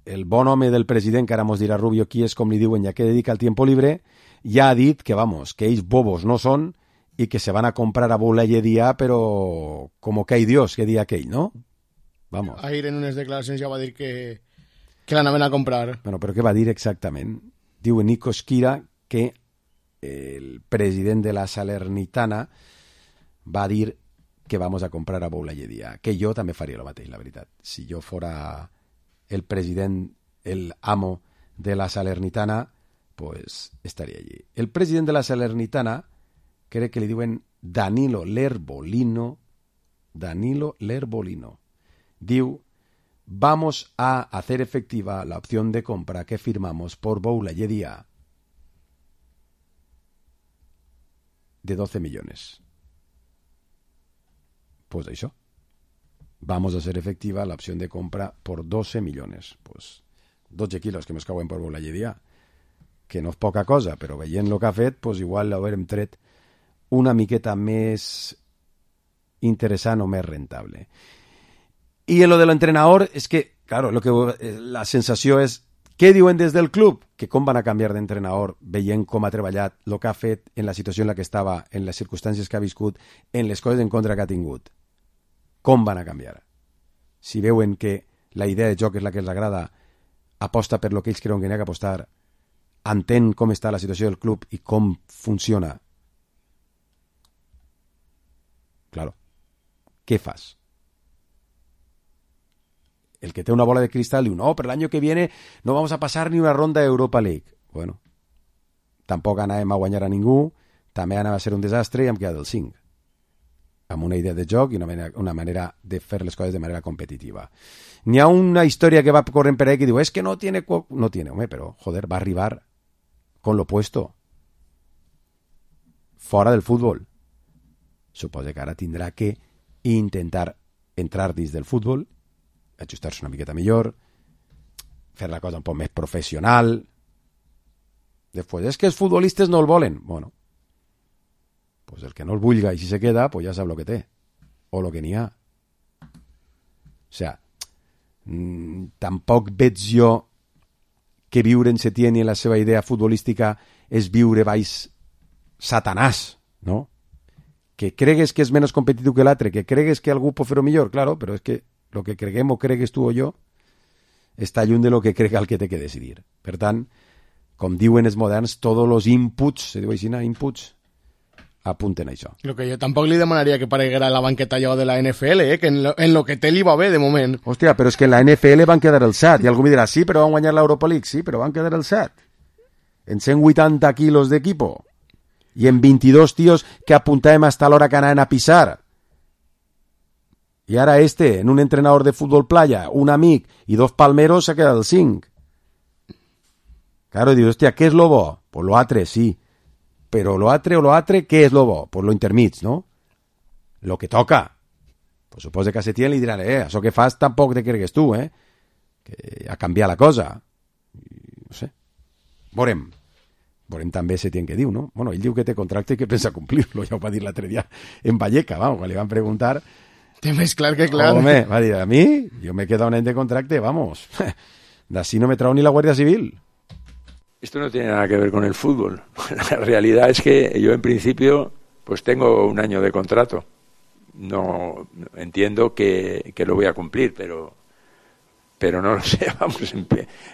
el bon home del president, que ara mos dirà Rubio qui és, com li diuen, ja que dedica el tiempo libre, ja ha dit que, vamos, que ells bobos no són i que se van a comprar a Boulaye-Dia, però como que hay Dios, que dia aquell, no? Vamos. Ahir en unes declaracions ja va dir que, que l'anaven a comprar. Bueno, però què va dir exactament? Diu Nico Schira que el president de la Salernitana va dir que vamos a comprar a Boulaye-Dia, que jo també faria el mateix, la veritat. Si jo fora el president, el amo de la Salernitana, pues estaria allí. El president de la Salernitana, crec que li diuen Danilo Lerbolino, Danilo Lerbolino, diu, vamos a hacer efectiva la opción de compra que firmamos por Boulaye-Dia de doce millones. pues això. Vamos a hacer efectiva la opción de compra por doce millones. Pues dotze quilos que mos cauen per volar lledia, que no és poca cosa, però veient el que ha fet, pues igual l'haurem tret una miqueta més interessant o més rentable. Y en lo de l'entrenador, es que, claro, lo que la sensació és, què diuen des del club? Que com van a canviar d'entrenador veient com ha treballat, el que ha fet en la situació en la que estava, en les circumstàncies que ha viscut, en les coses en contra que ha tingut. Com van a canviar? Si veuen que la idea de joc és la que els agrada, aposta per lo que ells creuen que n'hi ha que apostar, entén com està la situació del club i com funciona. Claro. Què fas? El que té una bola de cristal diu, no, per l'any que viene no vamos a pasar ni una ronda de Europa League. Bueno, tampoc anàvem a guanyar a ningú, també anava a ser un desastre i hem quedat el cinc. Amb una idea de joc i una manera, una manera de fer les coses de manera competitiva. N'hi ha una història que va corrent per ahí que diu, es que no tiene... No tiene, home, però, joder, va arribar con lo puesto. Fora del futbol. Suposa que ara tindrà que intentar entrar dins del futbol, ajustar-se una miqueta millor, fer la cosa un poc més professional. Després, és que els futbolistes no el volen. Bueno, pues el que no el vulga i si se queda, pues ja sap lo que té. O lo que n'hi ha. O sea, mmm, tampoc veig jo que viure en Setién i en la seva idea futbolística és viure baix Satanàs, no? Que cregues que és menys competitiu que l'altre, que cregues que algú pot fer-ho millor, claro, però és que lo que creguem o cregues tu o jo està lluny de lo que crega el que té que decidir. Per tant, com diuen els moderns, tots els inputs, se diu així, inputs, apunten a això. Lo que jo tampoc li demanaria que pareguera la banqueta allò de la N F L, eh? Que en lo, en lo que té li va bé de moment. Hòstia, però és que en la N F L van quedar el set, i algú me dirà, sí, però van guanyar l'Europa League, sí, però van quedar el set. En cent vuitanta quilos d'equipo, i en veintidós tios que apuntàvem hasta l'hora que anaven a pisar. I ara este, en un entrenador de futbol playa, un amic i dos palmeros, s'ha quedat el cinc. Claro, dius, hòstia, què és lo bo? Pues lo altre, sí. Però lo altre o lo altre, què és lo bo? Pues lo intermig, no? Lo que toca. Pues suposa que a Setién li diran, eh, això que fas tampoc te cregues tu, eh? Que ha canviat la cosa. No sé. Veurem. Veurem també Setién què diu, no? Bueno, ell diu que té contracte i que pensa complir-lo. Ja ho va dir l'altre dia en Valleca, vamos, quan li van preguntar... Té més clar que clar. Home, va dir, a mi, yo me he quedado un año de contracte, vamos. De así no me trajo ni la Guardia Civil. Esto no tiene nada que ver con el fútbol. La realidad es que yo en principio pues tengo un año de contrato. No entiendo que, que lo voy a cumplir, pero pero no lo sé, vamos,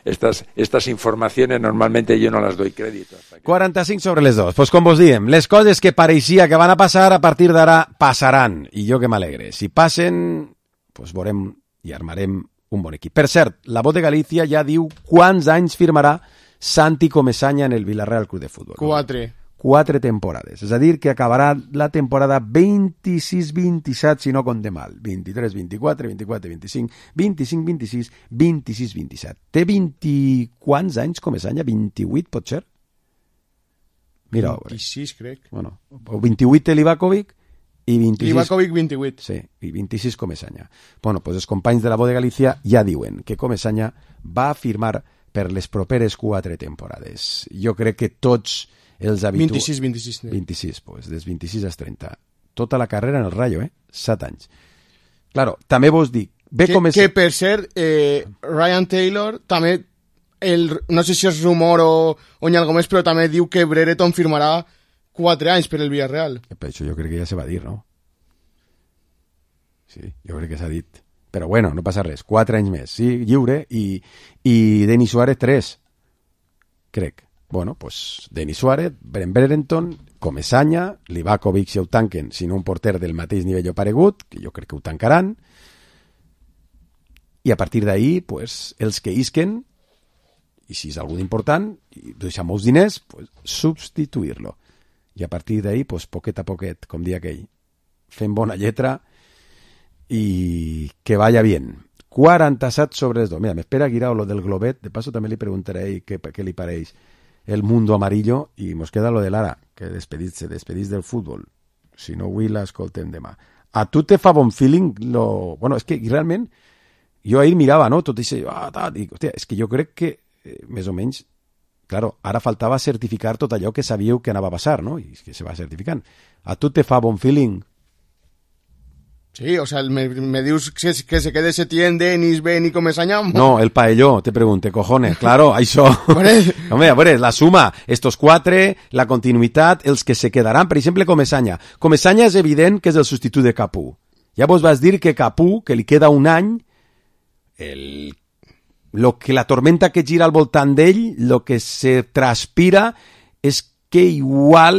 estas, estas informaciones normalmente yo no las doy crédito. Que... quaranta-cinc sobre les dos. Pues com vos diem, les coses que pareixia que van a passar a partir d'ara passaran, i jo que m'alegre. Si passen, pues veurem i armarem un bon equip. Per cert, la Voz de Galícia ja diu quants anys firmarà Santi Comesaña en el Villarreal Club de Fútbol. Quatre. Quatre temporades. És a dir, que acabarà la temporada vint-i-sis vint-i-set, si no compte mal. vint-i-tres vint-i-quatre, vint-i-quatre vint-i-cinc, vint-i-cinc vint-i-sis, vint-i-sis vint-i-set. Té vint i quants anys Comesaña? vint-i-vuit, pot ser? Mira, vint-i-sis, crec. Bueno, vint-i-vuit té Livakovic i vint-i-sis... Livakovic vint-i-vuit. Sí, i vint-i-sis Comesaña. Bueno, pues els companys de la Voz de Galícia ja diuen que Comesaña va firmar per les properes quatre temporades. Jo crec que tots els habituals... vint-i-sis, vint-i-sis. vint-i-sis, pues, des vint-i-sis als trenta. Tota la carrera en el Rayo, eh? Set anys. Claro, també vos dic... Ve que, com és... que per cert, eh, Ryan Taylor també, el, no sé si és rumor o, o ni algo més, però també diu que Brereton firmarà quatre anys per el Villarreal. Per això jo crec que ja se va dir, no? Sí, jo crec que s'ha dit. Però bueno, no passa res. Quatre anys més, sí, lliure, i, i Denis Suárez tres, crec. Bueno, pues Denis Suárez, Brent Brereton, Comesaña, Livakovic si ho tanquen, si no un porter del mateix nivell o paregut, que jo crec que ho tancaran, i a partir d'ahí, pues, els que isquen, i si és algú important, i deixar molts diners, pues, substituir-lo. I a partir d'ahí, pues, poquet a poquet, com dia aquell, fent bona lletra i que vaya bien. quaranta-set sobre les dos. Mira, m'espera Guirao lo del globet, de paso també li preguntaré què, què li pareix el mundo amarillo, i mos queda lo de Lara, que despedís, se despedís del fútbol. Si no avui l'escoltem demà. a tu te fa bon feeling lo... Bueno, és que realment jo ahir mirava, no? Tot això, ah, tal, dic, hòstia, és que jo crec que eh, més o menys, claro, ara faltava certificar tot allò que sabíeu que anava a passar, no? I que se va certificant. A tu te fa bon feeling? Sí, o sea, me, me dius que, que se quede Setién, Denis, Ben y Comesaña. No, el paelló, te pregunte, cojones. Claro, això... Home, a veure, la suma, estos quatre, la continuïtat, els que se quedaran, per exemple, Comesaña. Comesaña és evident que és el substitut de Capú. Ja vos vas dir que Capú, que li queda un any, el... lo que la tormenta que gira al voltant d'ell, lo que se transpira és que igual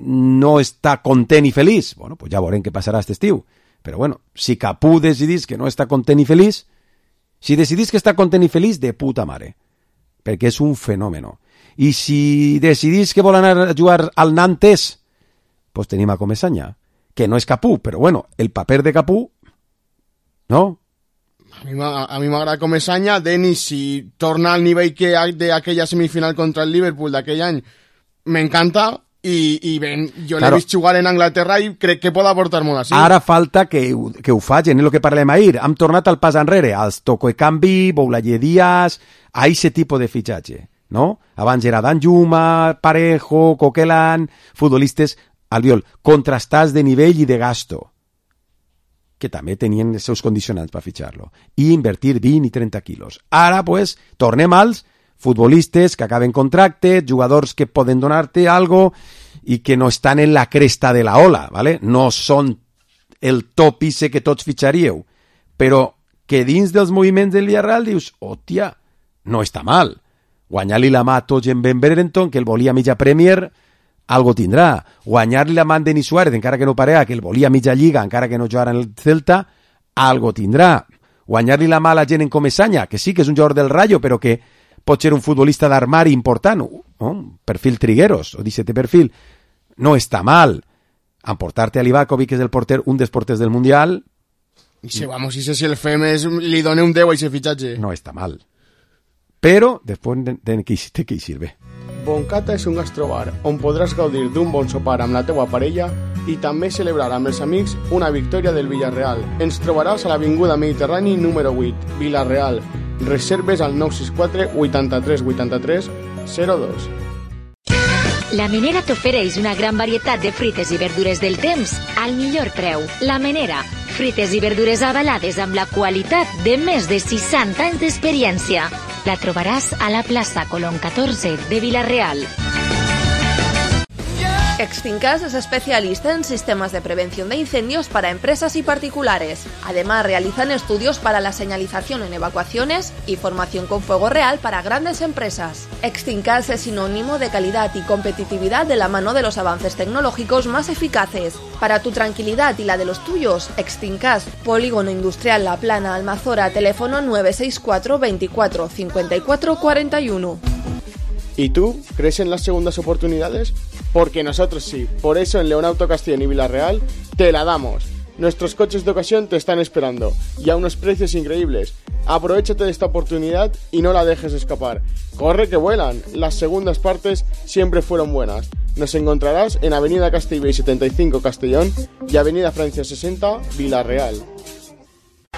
no està content i feliç. Bueno, pues ja veurem què passarà aquest estiu. Però bueno, si Capú decidís que no està content i feliç, si decidís que està content i feliç, de puta mare. Perquè és un fenomen. I si decidís que vol anar a jugar al Nantes, pues tenim a Comesaña, que no és Capú, però bueno, el paper de Capú, no? A mi, a mi m'agrada Comesaña. Denis, si torna al nivell que de aquella semifinal contra el Liverpool d'aquell any, m'encanta. I, i ben, jo claro, l'he vist jugar en Anglaterra i crec que pot aportar molt així. Ara falta que, que ho facin, és el que parlem ahir. Hem tornat al pas enrere, als Toko Ekambi, Boulaye Díaz, a aquest tipus de fitxatge, no? Abans era Danjuma, Parejo, Coquelin, futbolistes, Albiol, contrastats de nivell i de gasto, que també tenien els seus condicionants per fitxar-lo, i invertir vint i trenta quilos. Ara, pues, tornem als futbolistes que acaben contracte, jugadors que poden donar-te algo i que no estan en la cresta de la ola, ¿vale? No són el top ise que tots fitxaríeu, però que dins dels moviments del Villarreal dius, hòstia, no està mal. Guanyar-li la mà a tots en Ben Brereton, que el volia mitja Premier, algo tindrà. Guanyar-li la mà a Denis Suárez, encara que no parega, que el volia mitja Lliga, encara que no jugara en el Celta, algo tindrà. Guanyar-li la mà a la gent en Comesaña, que sí que és un jugador del Rayo, però que pot ser un futbolista d'armari important, no? Perfil Trigueros, o d'aquest perfil, no està mal. Emportar-te a Livakovic, que és el porter, un dels porters del Mundial... I si, vamos, i si el fem és, li dona un deu a aquest fitxatge. No està mal. Però, després de, de, de, de què hi sirve? Boncata és un gastrobar on podràs gaudir d'un bon sopar amb la teua parella i també celebrar amb els amics una victòria del Villarreal. Ens trobaràs a l'Avinguda Mediterrani número vuit, Villarreal. Reserves al nou sis quatre vuitanta-tres vuitanta-tres zero dos. La Menera t'ofereix una gran varietat de fruites i verdures del temps al millor preu. La Menera, fruites i verdures avalades amb la qualitat de més de seixanta anys d'experiència. La trobaràs a la plaça Colón catorze de Villarreal. Extincas es especialista en sistemas de prevención de incendios para empresas y particulares. Además, realizan estudios para la señalización en evacuaciones y formación con fuego real para grandes empresas. Extincas es sinónimo de calidad y competitividad de la mano de los avances tecnológicos más eficaces. Para tu tranquilidad y la de los tuyos, Extincas, Polígono Industrial La Plana, Almazora, teléfono nueve seis cuatro veinticuatro cincuenta y cuatro cuarenta y uno. ¿Y tú crees en las segundas oportunidades? Porque nosotros sí. Por eso en Leonauto Castellón y Villarreal te la damos. Nuestros coches de ocasión te están esperando y a unos precios increíbles. Aprovéchate de esta oportunidad y no la dejes escapar. Corre que vuelan. Las segundas partes siempre fueron buenas. Nos encontrarás en Avenida Castellbell setenta y cinco Castellón y Avenida Francia sesenta Villarreal.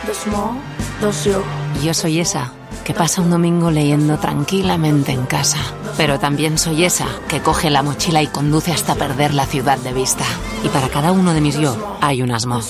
Dos mo, dos yo. Yo soy esa que pasa un domingo leyendo tranquilamente en casa. Pero también soy esa que coge la mochila y conduce hasta perder la ciudad de vista. Y para cada uno de mis yo hay unas Mo.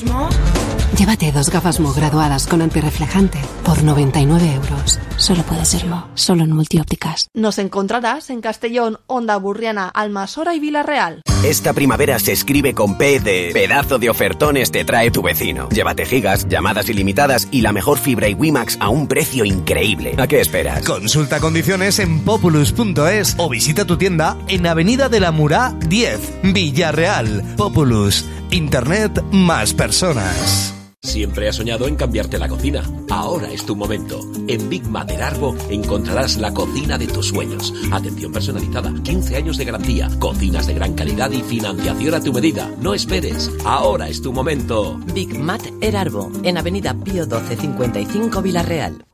Llévate dos gafas Mo graduadas con antirreflejante por noventa y nueve euros. Solo puede ser Mo, solo en Multiópticas. Nos encontrarás en Castellón, Onda Burriana, Almasora y Villarreal. Esta primavera se escribe con P de pedazo de ofertones te trae tu vecino. Llévate gigas, llamadas ilimitadas y la mejor fibra y WiMax a un precio increíble. ¿A qué esperas? Consulta condiciones en populus punto es o visita tu tienda en Avenida de la Murá diez, Villarreal. Populus, Internet más personas. Siempre has soñado en cambiarte la cocina. Ahora es tu momento. En Big Mater Arbo encontrarás la cocina de tus sueños. Atención personalizada, quince años de garantía, cocinas de gran calidad y financiación a tu medida. No esperes. Ahora es tu momento. Big Mater Arbo, en Avenida Pío doce cincuenta y cinco Villarreal.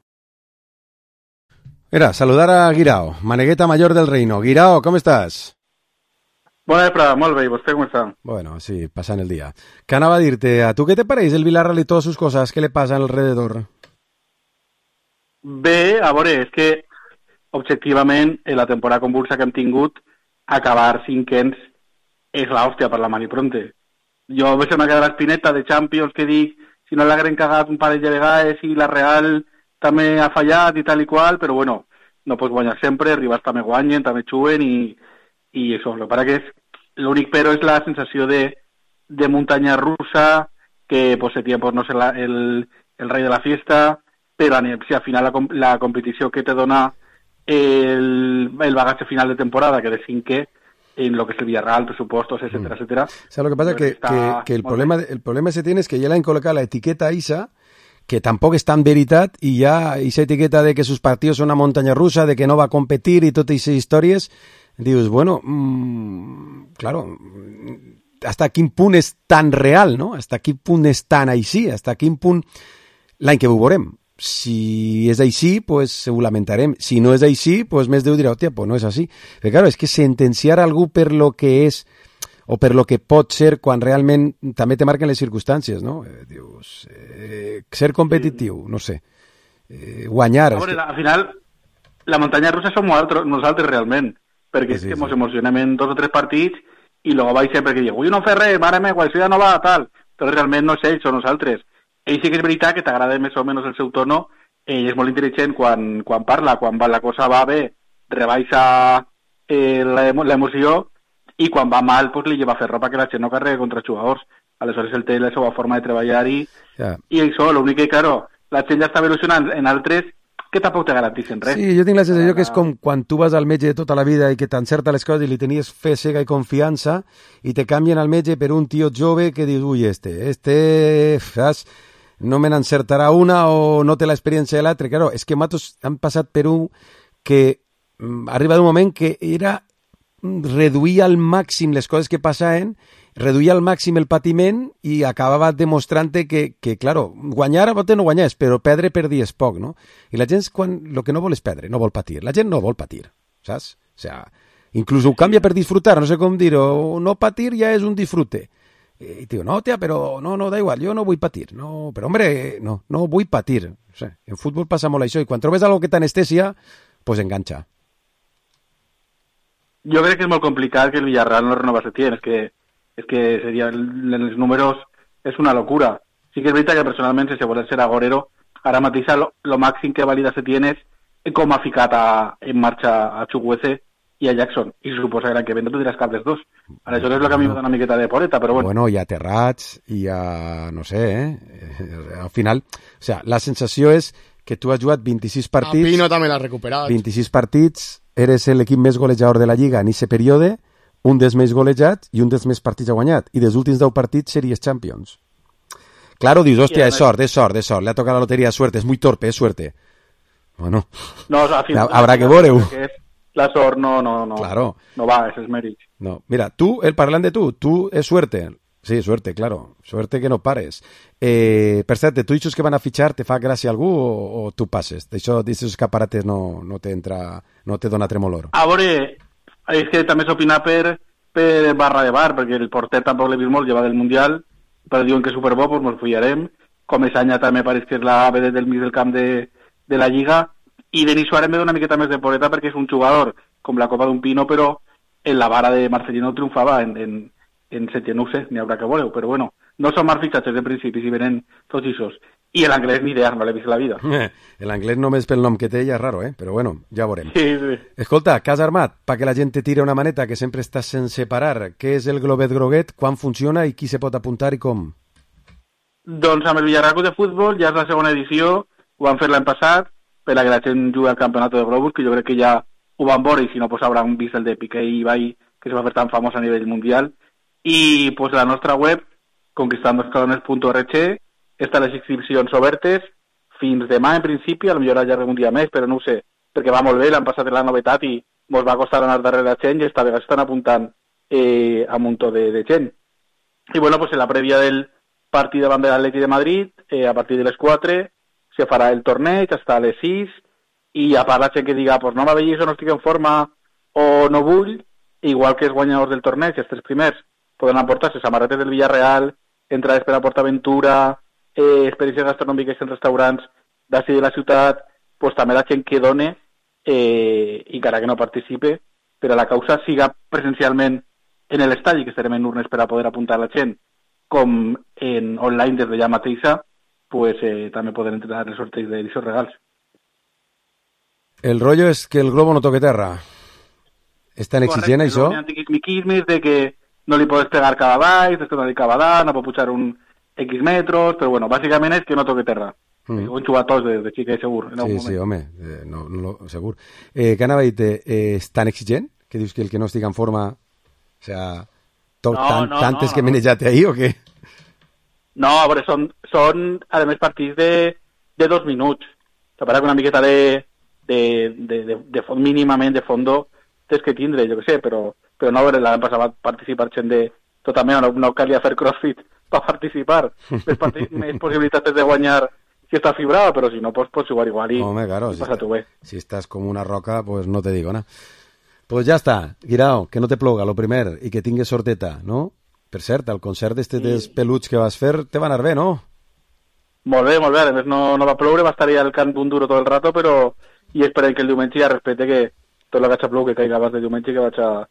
Era, saludar a Guirao, Manegueta Mayor del Reino. Guirao, ¿cómo estás? Bona vesprada, molt bé, i vostè com està? Bueno, sí, passant el dia. Que anava a dir-te, ¿a tu què te pareix el Villarreal y todas sus cosas? ¿Qué le pasa alrededor? Bé, a veure, és que objectivament, en la temporada convulsa que hem tingut, acabar cinquens és l'hòstia per la Mani Pronte. Jo veig una quedar l'espineta de Champions que dic, si no l'hagueren cagat un parell de vegades i la Real també ha fallat i tal i qual, però bueno, no pots guanyar sempre, rivals també guanyen, també xuen i, i això, el que passa que és, l'únic però és la sensació de, de muntanya russa, que pues, se tiene por no ser la, el, el rei de la fiesta, però si al final la, la competició que te dona el, el bagatge final de temporada, que de cinquè, en lo que es el Villarreal, presupuestos, etcétera, mm. etcétera. O sea, lo que pasa es que, que, que el, problema, el problema se tiene es que ya le han colocado la etiqueta a Isa, que tampoc és tan veritat, i ja aquesta etiqueta de que sus partidos són una muntanya russa, de que no va a competir i totes aquestes històries, dius, bueno, mmm, claro, hasta quin punt és tan real, no? Hasta quin punt és tan així, hasta quin punt l'any que ho veurem. Si és així, pues ho lamentarem. Si no és així, pues més Déu dirà, hòstia, pues no és així. Però claro, és que sentenciar algú per lo que és o per lo que pot ser quan realment també te marquen les circumstàncies, no? Eh, dius, eh, ser competitiu, no sé, eh, guanyar... A veure, que... al final, la muntanya russa som nosaltres, nosaltres realment, perquè sí, és que ens sí. emocionem en dos o tres partits i luego vaig sempre que diu, ui, no fer res, mare meva, això ja no va, tal, però realment no és ells, són nosaltres. Ell sí que és veritat que t'agrada més o menys el seu tono, ell és molt intel·ligent quan, quan parla, quan va, la cosa va bé, rebaixa eh, l'emoció, i quan va mal, pues, li lleva a fer ropa que la gent no carrega contra jugadors. Aleshores, el té la seva forma de treballar i, yeah. i això, l'únic que, claro, la gent ja està evolucionant en altres que tampoc te garanteixen res. Sí, jo tinc la sensació que és com quan tu vas al metge de tota la vida i que t'encerta les coses i li tenies fe cega i confiança i te canvien al metge per un tio jove que dius, ui, este, este, saps? No me n'encertarà una o no té l'experiència de l'altre. Claro, és que matos han passat per un que mm, arriba d'un moment que era reduir al màxim les coses que passaven, reduir al màxim el patiment i acabava demostrant que, que claro, guanyar a bote no guanyes, però perdre perdies poc, no? I la gent, quan el que no vol és perdre, no vol patir. La gent no vol patir, saps? O sea, inclús ho canvia per disfrutar, no sé com dir-ho, no patir ja és un disfrute. I diu, no, tia, però no, no, da igual, jo no vull patir. No, però, hombre, no, no vull patir. O sea, en futbol passa molt això, i quan trobes algo que t'anestesia, pues enganxa. Jo crec que és molt complicat que el Villarreal no renova Setién, és que, és que seria, en els números és una locura. Sí que és veritat que personalment, si se vol ser agorero, ara mateix lo, lo màxim que valida Setién és com ha ficat a, en marxa a Chukwueze i a Jackson, i se suposa que l'any que ve no tu diràs cap dels dos. Aleshores és el que a mi me dona una miqueta de poreta, però bueno. Bueno, hi ha Terrats, hi ha, no sé, eh? Al final, o sea, la sensació és que tu has jugat vint-i-sis partits... A Pino també l'ha recuperat. vint-i-sis partits, eres l'equip més golejador de la Lliga en aquest període, un dels més golejats i un dels més partits ha guanyat. I dels últims deu partits series Champions. Claro, dius, hòstia, és sort, és sort, és sort. Le ha tocat la loteria, suerte, és muy torpe, és suerte. Bueno, no, o sea, final, habrá que veure-ho. La sort no, no, no, claro. no va, és mèrit. No, mira, tu, el parlant de tu, tu és suerte. Sí, suerte, claro. Suerte que no pares. Eh, per cert, tu dius que van a fitxar, te fa gràcia algú o, o tu passes? D'això, d'aquests escaparates no, no te entra, no te dona tremolor. A veure, és que també s'opina per, per barra de bar, perquè el porter tampoc l'he vist molt, lleva del Mundial, però diuen que és superbo, doncs ens follarem. Com és any també pareix que és la ave del mig del camp de, de la Lliga, i Denis Suárez me dona una miqueta més de poreta perquè és un jugador com la Copa d'un Pino, però en la vara de Marcelino triomfava en, en en Setién, no ho sé, n'hi haurà que voleu, però bueno, no són mal fitxatges de principi, si venen tots ixos. I l'anglès ni idea, no l'he vist la vida. Eh, l'anglès només pel nom que té ja és raro, eh? Però bueno, ja veurem. Sí, sí. Escolta, que has armat perquè la gent te tira una maneta, que sempre estàs sense parar. Què és el Globet Groguet, quan funciona i qui se pot apuntar i com? Doncs amb el Villarreal de Futbol ja és la segona edició, ho van fer l'any passat, per la que la gent juga al Campionat de Globus, que jo crec que ja ho van veure, i si no, pues hauran vist el de Piqué i Ibai, que se va fer tan famós a nivell mundial. I pues, la nostra web, conquistandoscalones punt org, estan les inscripcions obertes fins demà, en principi, a lo millor allarguem un dia més, però no ho sé, perquè va molt bé, l'han passat la novetat i ens va costar anar darrere la gent i esta vegada estan apuntant eh, a un muntó de, de gent. I bueno, pues en la prèvia del partit davant de l'Atleti de Madrid, eh, a partir de les quatre, se farà el torneig fins a les sis, i a part la gent que diga, pues no m'avellis o no estic en forma o no vull, igual que els guanyadors del torneig, els tres primers, poden aportar-se samarretes del Villarreal, entrades per a PortAventura, eh, experiències gastronòmiques en restaurants d'ací de la ciutat, pues també la gent que done, eh, encara que no participe, per a la causa, siga presencialment en l'estadi, que estarem en urnes per a poder apuntar la gent, com en online des d'allà mateixa, pues eh, també poden entrar els sorteig d'aquests regals. El rollo és que el globo no toque terra. És tan exigent, Correcte, això? Hi ha antiquismiquismes de que no li podes pegar cada baix, després no li cada dalt, no pot pujar un X metros, però bueno, bàsicament és que no toque terra. Mm. Ho han jugat tots de, de xiquet, segur. En sí, sí, home, eh, no, no, segur. Eh, què anava a dir-te? Eh, és tan exigent que dius que el que no estigui en forma, o sea, tot, no, tant, no, tantes no, que no. menejate ahí o què? No, a veure, són, són a més, partits de, de dos minuts. Se parla que una miqueta de, de, de, de, de fons, mínimament de fondo, tens que tindre, jo què sé, però, però no, a veure, l'any passat va participar gent de tot també, no, no calia fer crossfit per participar. Més, partits, més possibilitats de guanyar si estàs fibrado, però si no, pues, pots jugar igual i, Home, claro, i si, passa-t'ho bé. si estàs com una roca, pues no te digo nada. Pues ja està, Guirao, que no te ploga, lo primer, i que tingues sorteta, no? Per cert, el concert d'este sí. dels peluts que vas fer te va anar bé, no? Molt bé, molt bé, a més no, no va ploure, va estar allà al camp d'un duro tot el rato, però i esperem que el diumenge ja respecte que tot el que haig plou que caiga abans de diumenge que vaig a...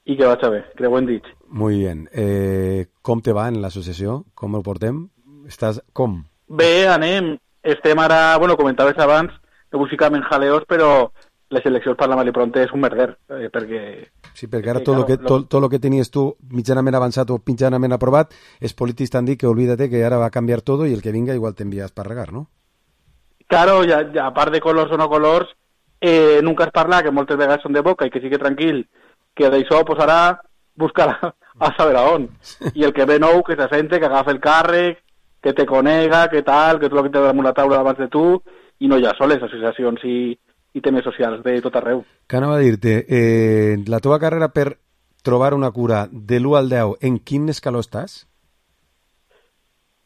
i que vaig a bé, creu ho hem dit. Muy bien. Eh, com te va en l'associació? Com el portem? Estàs com? Bé, anem. Estem ara, bueno, comentaves abans, no buscàvem jaleos, però les eleccions per la Malipronte és un merder, eh, perquè... Sí, perquè ara tot lo que, tot, tot lo que tenies tu mitjanament avançat o mitjanament aprovat, els polítics t'han dit que olvídate que ara va a canviar tot i el que vinga igual t'envies per regar, no? Claro, ja, ja, a part de colors o no colors, eh, nunca es parla, que moltes vegades són de boca i que sigui tranquil, que d'això pues, ara buscar a saber a on. I el que ve nou, que s'assente, que agafa el càrrec, que te conega, que tal, que tot el que té damunt la taula davant de tu, i no ja soles associacions i, i temes socials de tot arreu. Que anava a dir-te, eh, la teva carrera per trobar una cura de l'u al deu, en quin escaló estàs?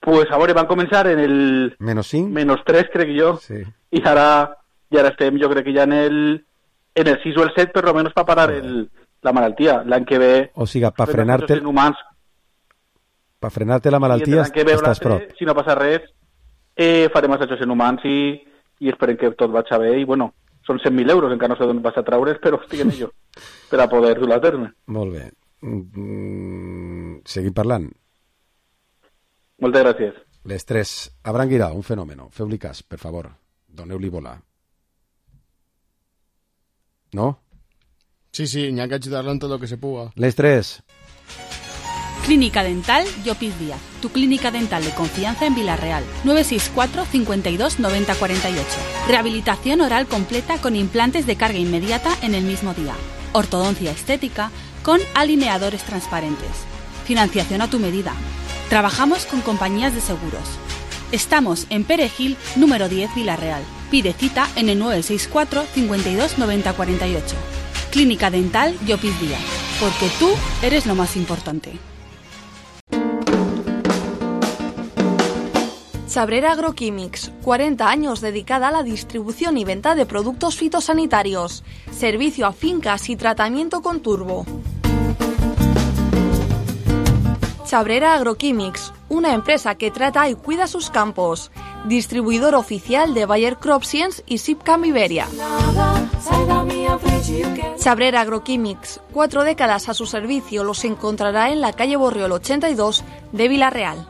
Pues a veure, van començar en el... Menos cinc? Menos tres, crec jo. Sí. I ara, i ara estem, jo crec que ja en el, en el sis o el set, per lo menos per parar el, la malaltia. L'any que ve... O sigui, per frenar-te... Per frenar-te la malaltia estàs prop. Si no passa res, eh, farem assajos en humans i, i esperem que tot vagi bé. I bueno, són cent mil euros, encara no sé d'on vas a traure's, però estic en ello, per a poder dur-la a terme. Molt bé. Mm, seguim parlant. Moltes gràcies. Les tres. Abraham Guirao, un fenòmeno. Feu-li cas, per favor. Doneu-li volar. ¿No? Sí, sí, n'hi ha que ajudar-lo en tot el que se puga. Les tres. Clínica Dental Llopis Díaz, tu clínica dental de confianza en Villarreal. nueve seis cuatro, cincuenta y dos, noventa cuarenta y ocho. Rehabilitación oral completa con implantes de carga inmediata en el mismo día. Ortodoncia estética con alineadores transparentes. Financiación a tu medida. Trabajamos con compañías de seguros. Estamos en Perejil, número diez, Villarreal. Pide cita en el nueve seis cuatro, cincuenta y dos, noventa cuarenta y ocho. Clínica Dental Llopis Díaz, porque tú eres lo más importante. Sabrera Agroquímics, cuarenta años dedicada a la distribución y venta de productos fitosanitarios, servicio a fincas y tratamiento con turbo. Sabrera Agroquímics, una empresa que trata y cuida sus campos, distribuidor oficial de Bayer Crop Science y Sipcam Iberia. Sabrera Agroquímics, cuatro décadas a su servicio, los encontrará en la calle Borriol ochenta y dos de Villarreal.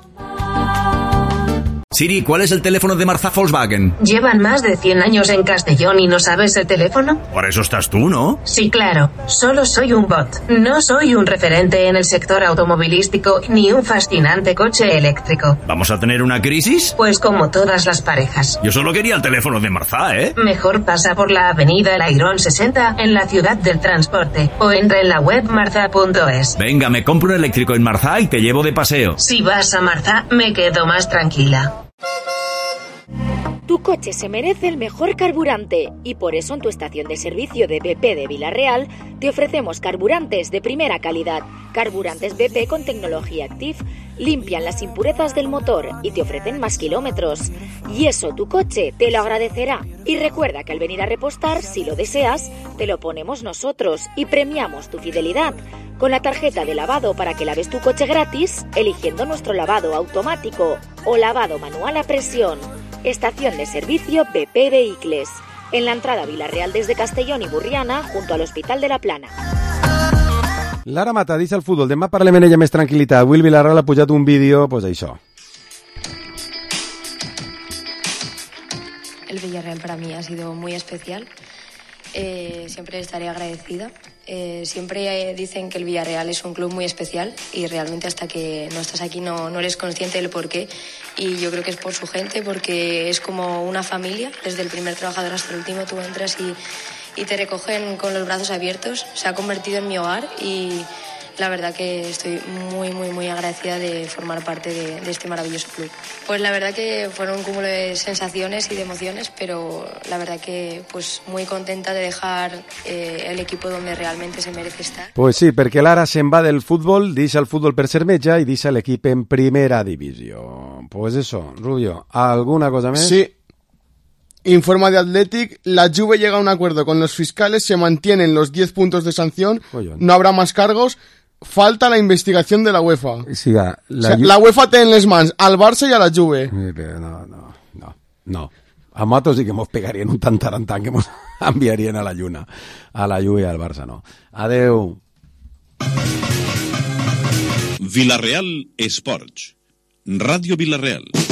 Siri, ¿cuál es el teléfono de Marzá Volkswagen? ¿Llevan más de cien años en Castellón y no sabes el teléfono? Por eso estás tú, ¿no? Sí, claro. Solo soy un bot. No soy un referente en el sector automovilístico ni un fascinante coche eléctrico. ¿Vamos a tener una crisis? Pues como todas las parejas. Yo solo quería el teléfono de Marzá, ¿eh? Mejor pasa por la avenida El Airón sesenta en la ciudad del transporte o entra en la web marzá punto es. Venga, me compro un eléctrico en Marzá y te llevo de paseo. Si vas a Marzá, me quedo más tranquila. Tu coche se merece el mejor carburante y por eso en tu estación de servicio de B P de Vila-real te ofrecemos carburantes de primera calidad. Carburantes B P con tecnología Active limpian las impurezas del motor y te ofrecen más kilómetros. Y eso tu coche te lo agradecerá. Y recuerda que al venir a repostar, si lo deseas, te lo ponemos nosotros y premiamos tu fidelidad con la tarjeta de lavado para que laves tu coche gratis eligiendo nuestro lavado automático o lavado manual a presión. Estación de servicio B P Vehicles, en la entrada a Vila-real desde Castellón y Burriana, junto al Hospital de la Plana. Lara Mata, dice al fútbol, demà parlem en ella més tranquil·litat. Will Villarreal ha pujat un vídeo, pues això. El Villarreal para mí ha sido muy especial. Eh, siempre estaré agradecida. Eh, siempre dicen que el Villarreal es un club muy especial y realmente hasta que no estás aquí no, no eres consciente del porqué. Y yo creo que es por su gente, porque es como una familia. Desde el primer trabajador hasta el último tú entras y, y te recogen con los brazos abiertos. Se ha convertido en mi hogar y la verdad que estoy muy, muy, muy agradecida de formar parte de, de este maravilloso club. Pues la verdad que fueron un cúmulo de sensaciones y de emociones, pero la verdad que pues muy contenta de dejar eh, el equipo donde realmente se merece estar. Pues sí, perquè l'Ara se'n va del futbol, deixa el futbol per ser metge i deixa l'equip en primera divisió. Pues eso, Rubio, ¿alguna cosa més? Sí. Informa de Athletic, la Juve llega a un acuerdo con los fiscales, se mantienen los diez puntos de sanción, Collón. no habrá más cargos. Falta la investigación de la UEFA. Siga, la, o sea, la UEFA té en les mans al Barça i a la Juve. No, no, no, no. A nosaltres sí que mos pegarien un tantarantán que mos enviarien a la lluna. A la Juve i al Barça no. Adeu. Vila-real Esports. Ràdio Vila-real.